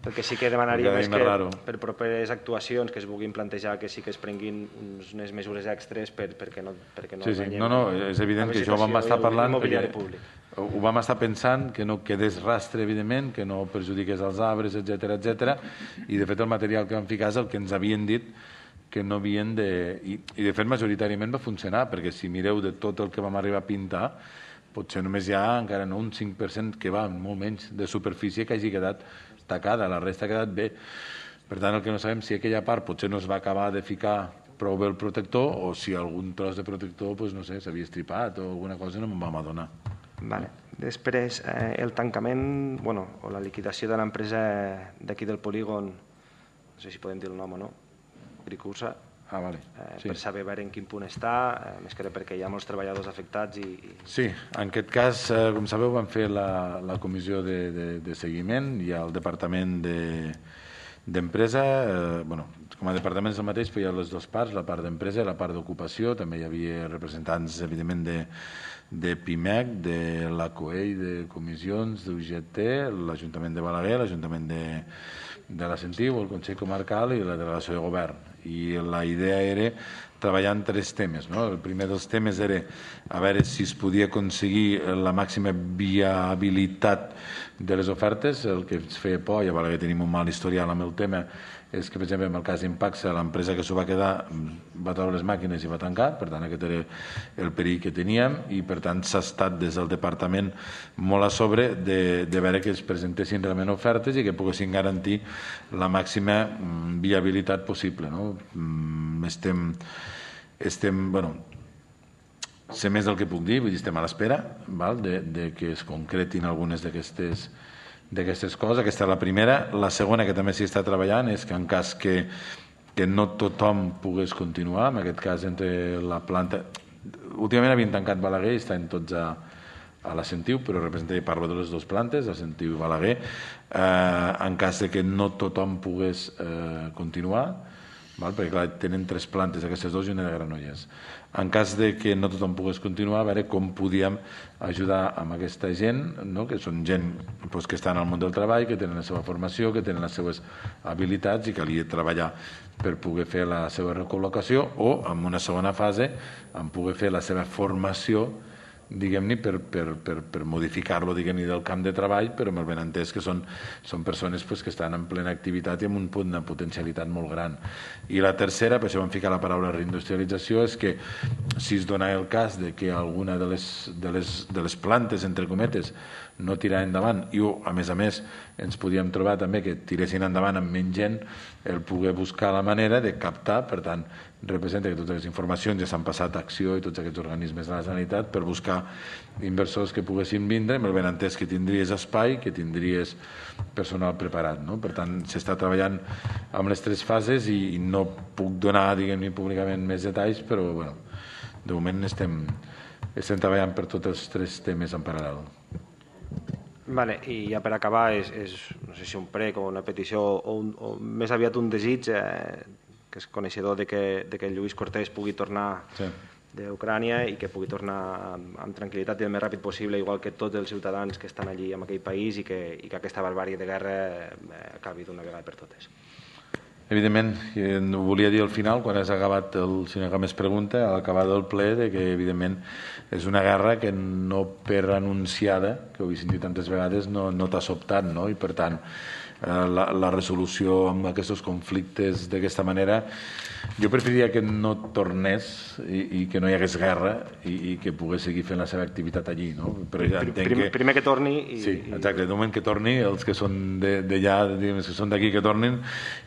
El que sí que demanaríem és que per properes actuacions que es vulguin plantejar que sí que es prenguin unes mesures extres perquè no enganyem. No, és evident que això ho vam estar parlant, ho vam estar pensant, que no quedés rastre, evidentment, que no perjudiqués els arbres, etc. I de fet el material que vam ficar és el que ens havien dit que no havien de... I de fet majoritàriament va funcionar, perquè si mireu de tot el que vam arribar a pintar, potser només hi ha encara no un 5% que va, molt menys, de superfície que hagi quedat tacada, la resta ha quedat bé. Per tant, el que no sabem si aquella part potser no es va acabar de ficar prou bé el protector o si algun tros de protector, no sé, s'havia estripat o alguna cosa no me'n vam adonar. Vale. Després, el tancament, o la liquidació de l'empresa d'aquí del polígon, no sé si podem dir el nom o no, Gricursa, per saber veure en quin punt està, més que perquè hi ha molts treballadors afectats. Sí, en aquest cas, com sabeu, vam fer la comissió de seguiment i el departament d'empresa, com a departament és el mateix, però hi ha les dues parts, la part d'empresa i la part d'ocupació, també hi havia representants, evidentment, de PIMEC, de l'ACOEI, de comissions, d'UGT, l'Ajuntament de Balaguer, l'Ajuntament de la Sentiu, el Consell Comarcal i la delegació de govern. I la idea era treballar en 3 temes. El primer dels temes era a veure si es podia aconseguir la màxima viabilitat de les ofertes. El que ens feia por, i a Balaguer tenim un mal historial amb el tema, és que, per exemple, en el cas d'Impaxa, l'empresa que s'ho va quedar va treure les màquines i va tancar, per tant, aquest era el perill que teníem, i per tant s'ha estat des del departament molt a sobre de veure que es presentessin realment ofertes i que poguessin garantir la màxima viabilitat possible. Sé més del que puc dir, vull dir, estem a l'espera de que es concretin algunes d'aquestes coses. Aquesta és la primera. La segona, que també s'hi està treballant, és que en cas que no tothom pogués continuar, en aquest cas entre la planta... Últimament havien tancat Balaguer i estan tots a la Sentiu, però parlo de les dues plantes, la Sentiu i Balaguer. En cas que no tothom pogués continuar, perquè clar, tenen 3 plantes, aquestes dues i una de Granollers. En cas que no tothom pogués continuar, a veure com podíem ajudar amb aquesta gent, que són gent que estan al món del treball, que tenen la seva formació, que tenen les seves habilitats i calia treballar per poder fer la seva recol·locació o, en una segona fase, en poder fer la seva formació, diguem-ne, per modificar-lo, diguem-ne, del camp de treball, però amb el benentès que són persones que estan en plena activitat i amb un punt de potencialitat molt gran. I la tercera, per això vam ficar la paraula reindustrialització, és que si es dona el cas de que alguna de les plantes, entre cometes, no tirar endavant i, a més, ens podíem trobar també que tiressin endavant amb menys gent, el poder buscar la manera de captar, per tant, representa que totes les informacions ja s'han passat a Acció i tots aquests organismes de la Generalitat per buscar inversors que poguessin vindre, amb el benentès que tindries espai, que tindries personal preparat. Per tant, s'està treballant amb les 3 fases i no puc donar, diguem-ne, públicament més detalls, però, de moment estem treballant per tots els 3 temes en paral·lel. Vale, i ja per acabar, no sé si un prec o una petició o més aviat un desig, que és coneixedor de que Lluís Cortés pugui tornar d'Ucrània i que pugui tornar amb tranquil·litat i el més ràpid possible, igual que tots els ciutadans que estan allí en aquell país i que aquesta barbàrie de guerra acabi d'una vegada per totes. Evidentment, ho volia dir al final, quan has acabat el senyor que més pregunta, a l'acabar del ple, que evidentment és una guerra que no per anunciada, que ho he sentit tantes vegades, no t'ha sobtat, i per tant la resolució amb aquests conflictes d'aquesta manera, jo preferiria que no tornés i que no hi hagués guerra i que pogués seguir fent la seva activitat allí. Primer que torni. Sí, exacte, de moment que torni, els que són d'allà, que són d'aquí que tornin,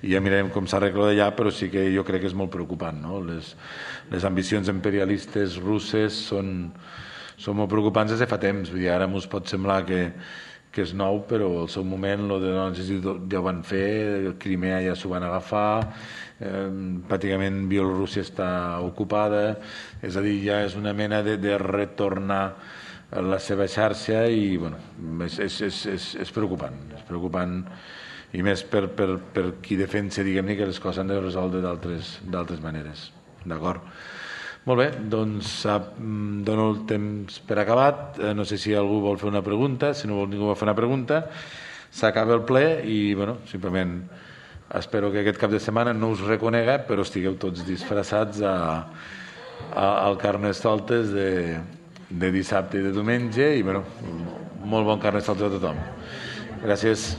i ja mirarem com s'arregla d'allà, però sí que jo crec que és molt preocupant, no? Les ambicions imperialistes russes són molt preocupants des de fa temps. Vull dir, ara ens pot semblar que és nou, però al seu moment ja ho van fer, Crimea ja s'ho van agafar, pràcticament Bielorússia està ocupada, és a dir, ja és una mena de retornar a la seva xarxa i bueno, és preocupant i més per qui defensa, diguem-ne, que les coses han de resoldre d'altres maneres. D'acord? Molt bé, doncs dono el temps per acabat. No sé si algú vol fer una pregunta. Si no vol ningú fer una pregunta, s'acaba el ple i, bueno, simplement espero que aquest cap de setmana no us reconega, però estigueu tots disfressats al Carnestoltes de dissabte i de diumenge i, bueno, molt bon Carnestoltes a tothom. Gràcies.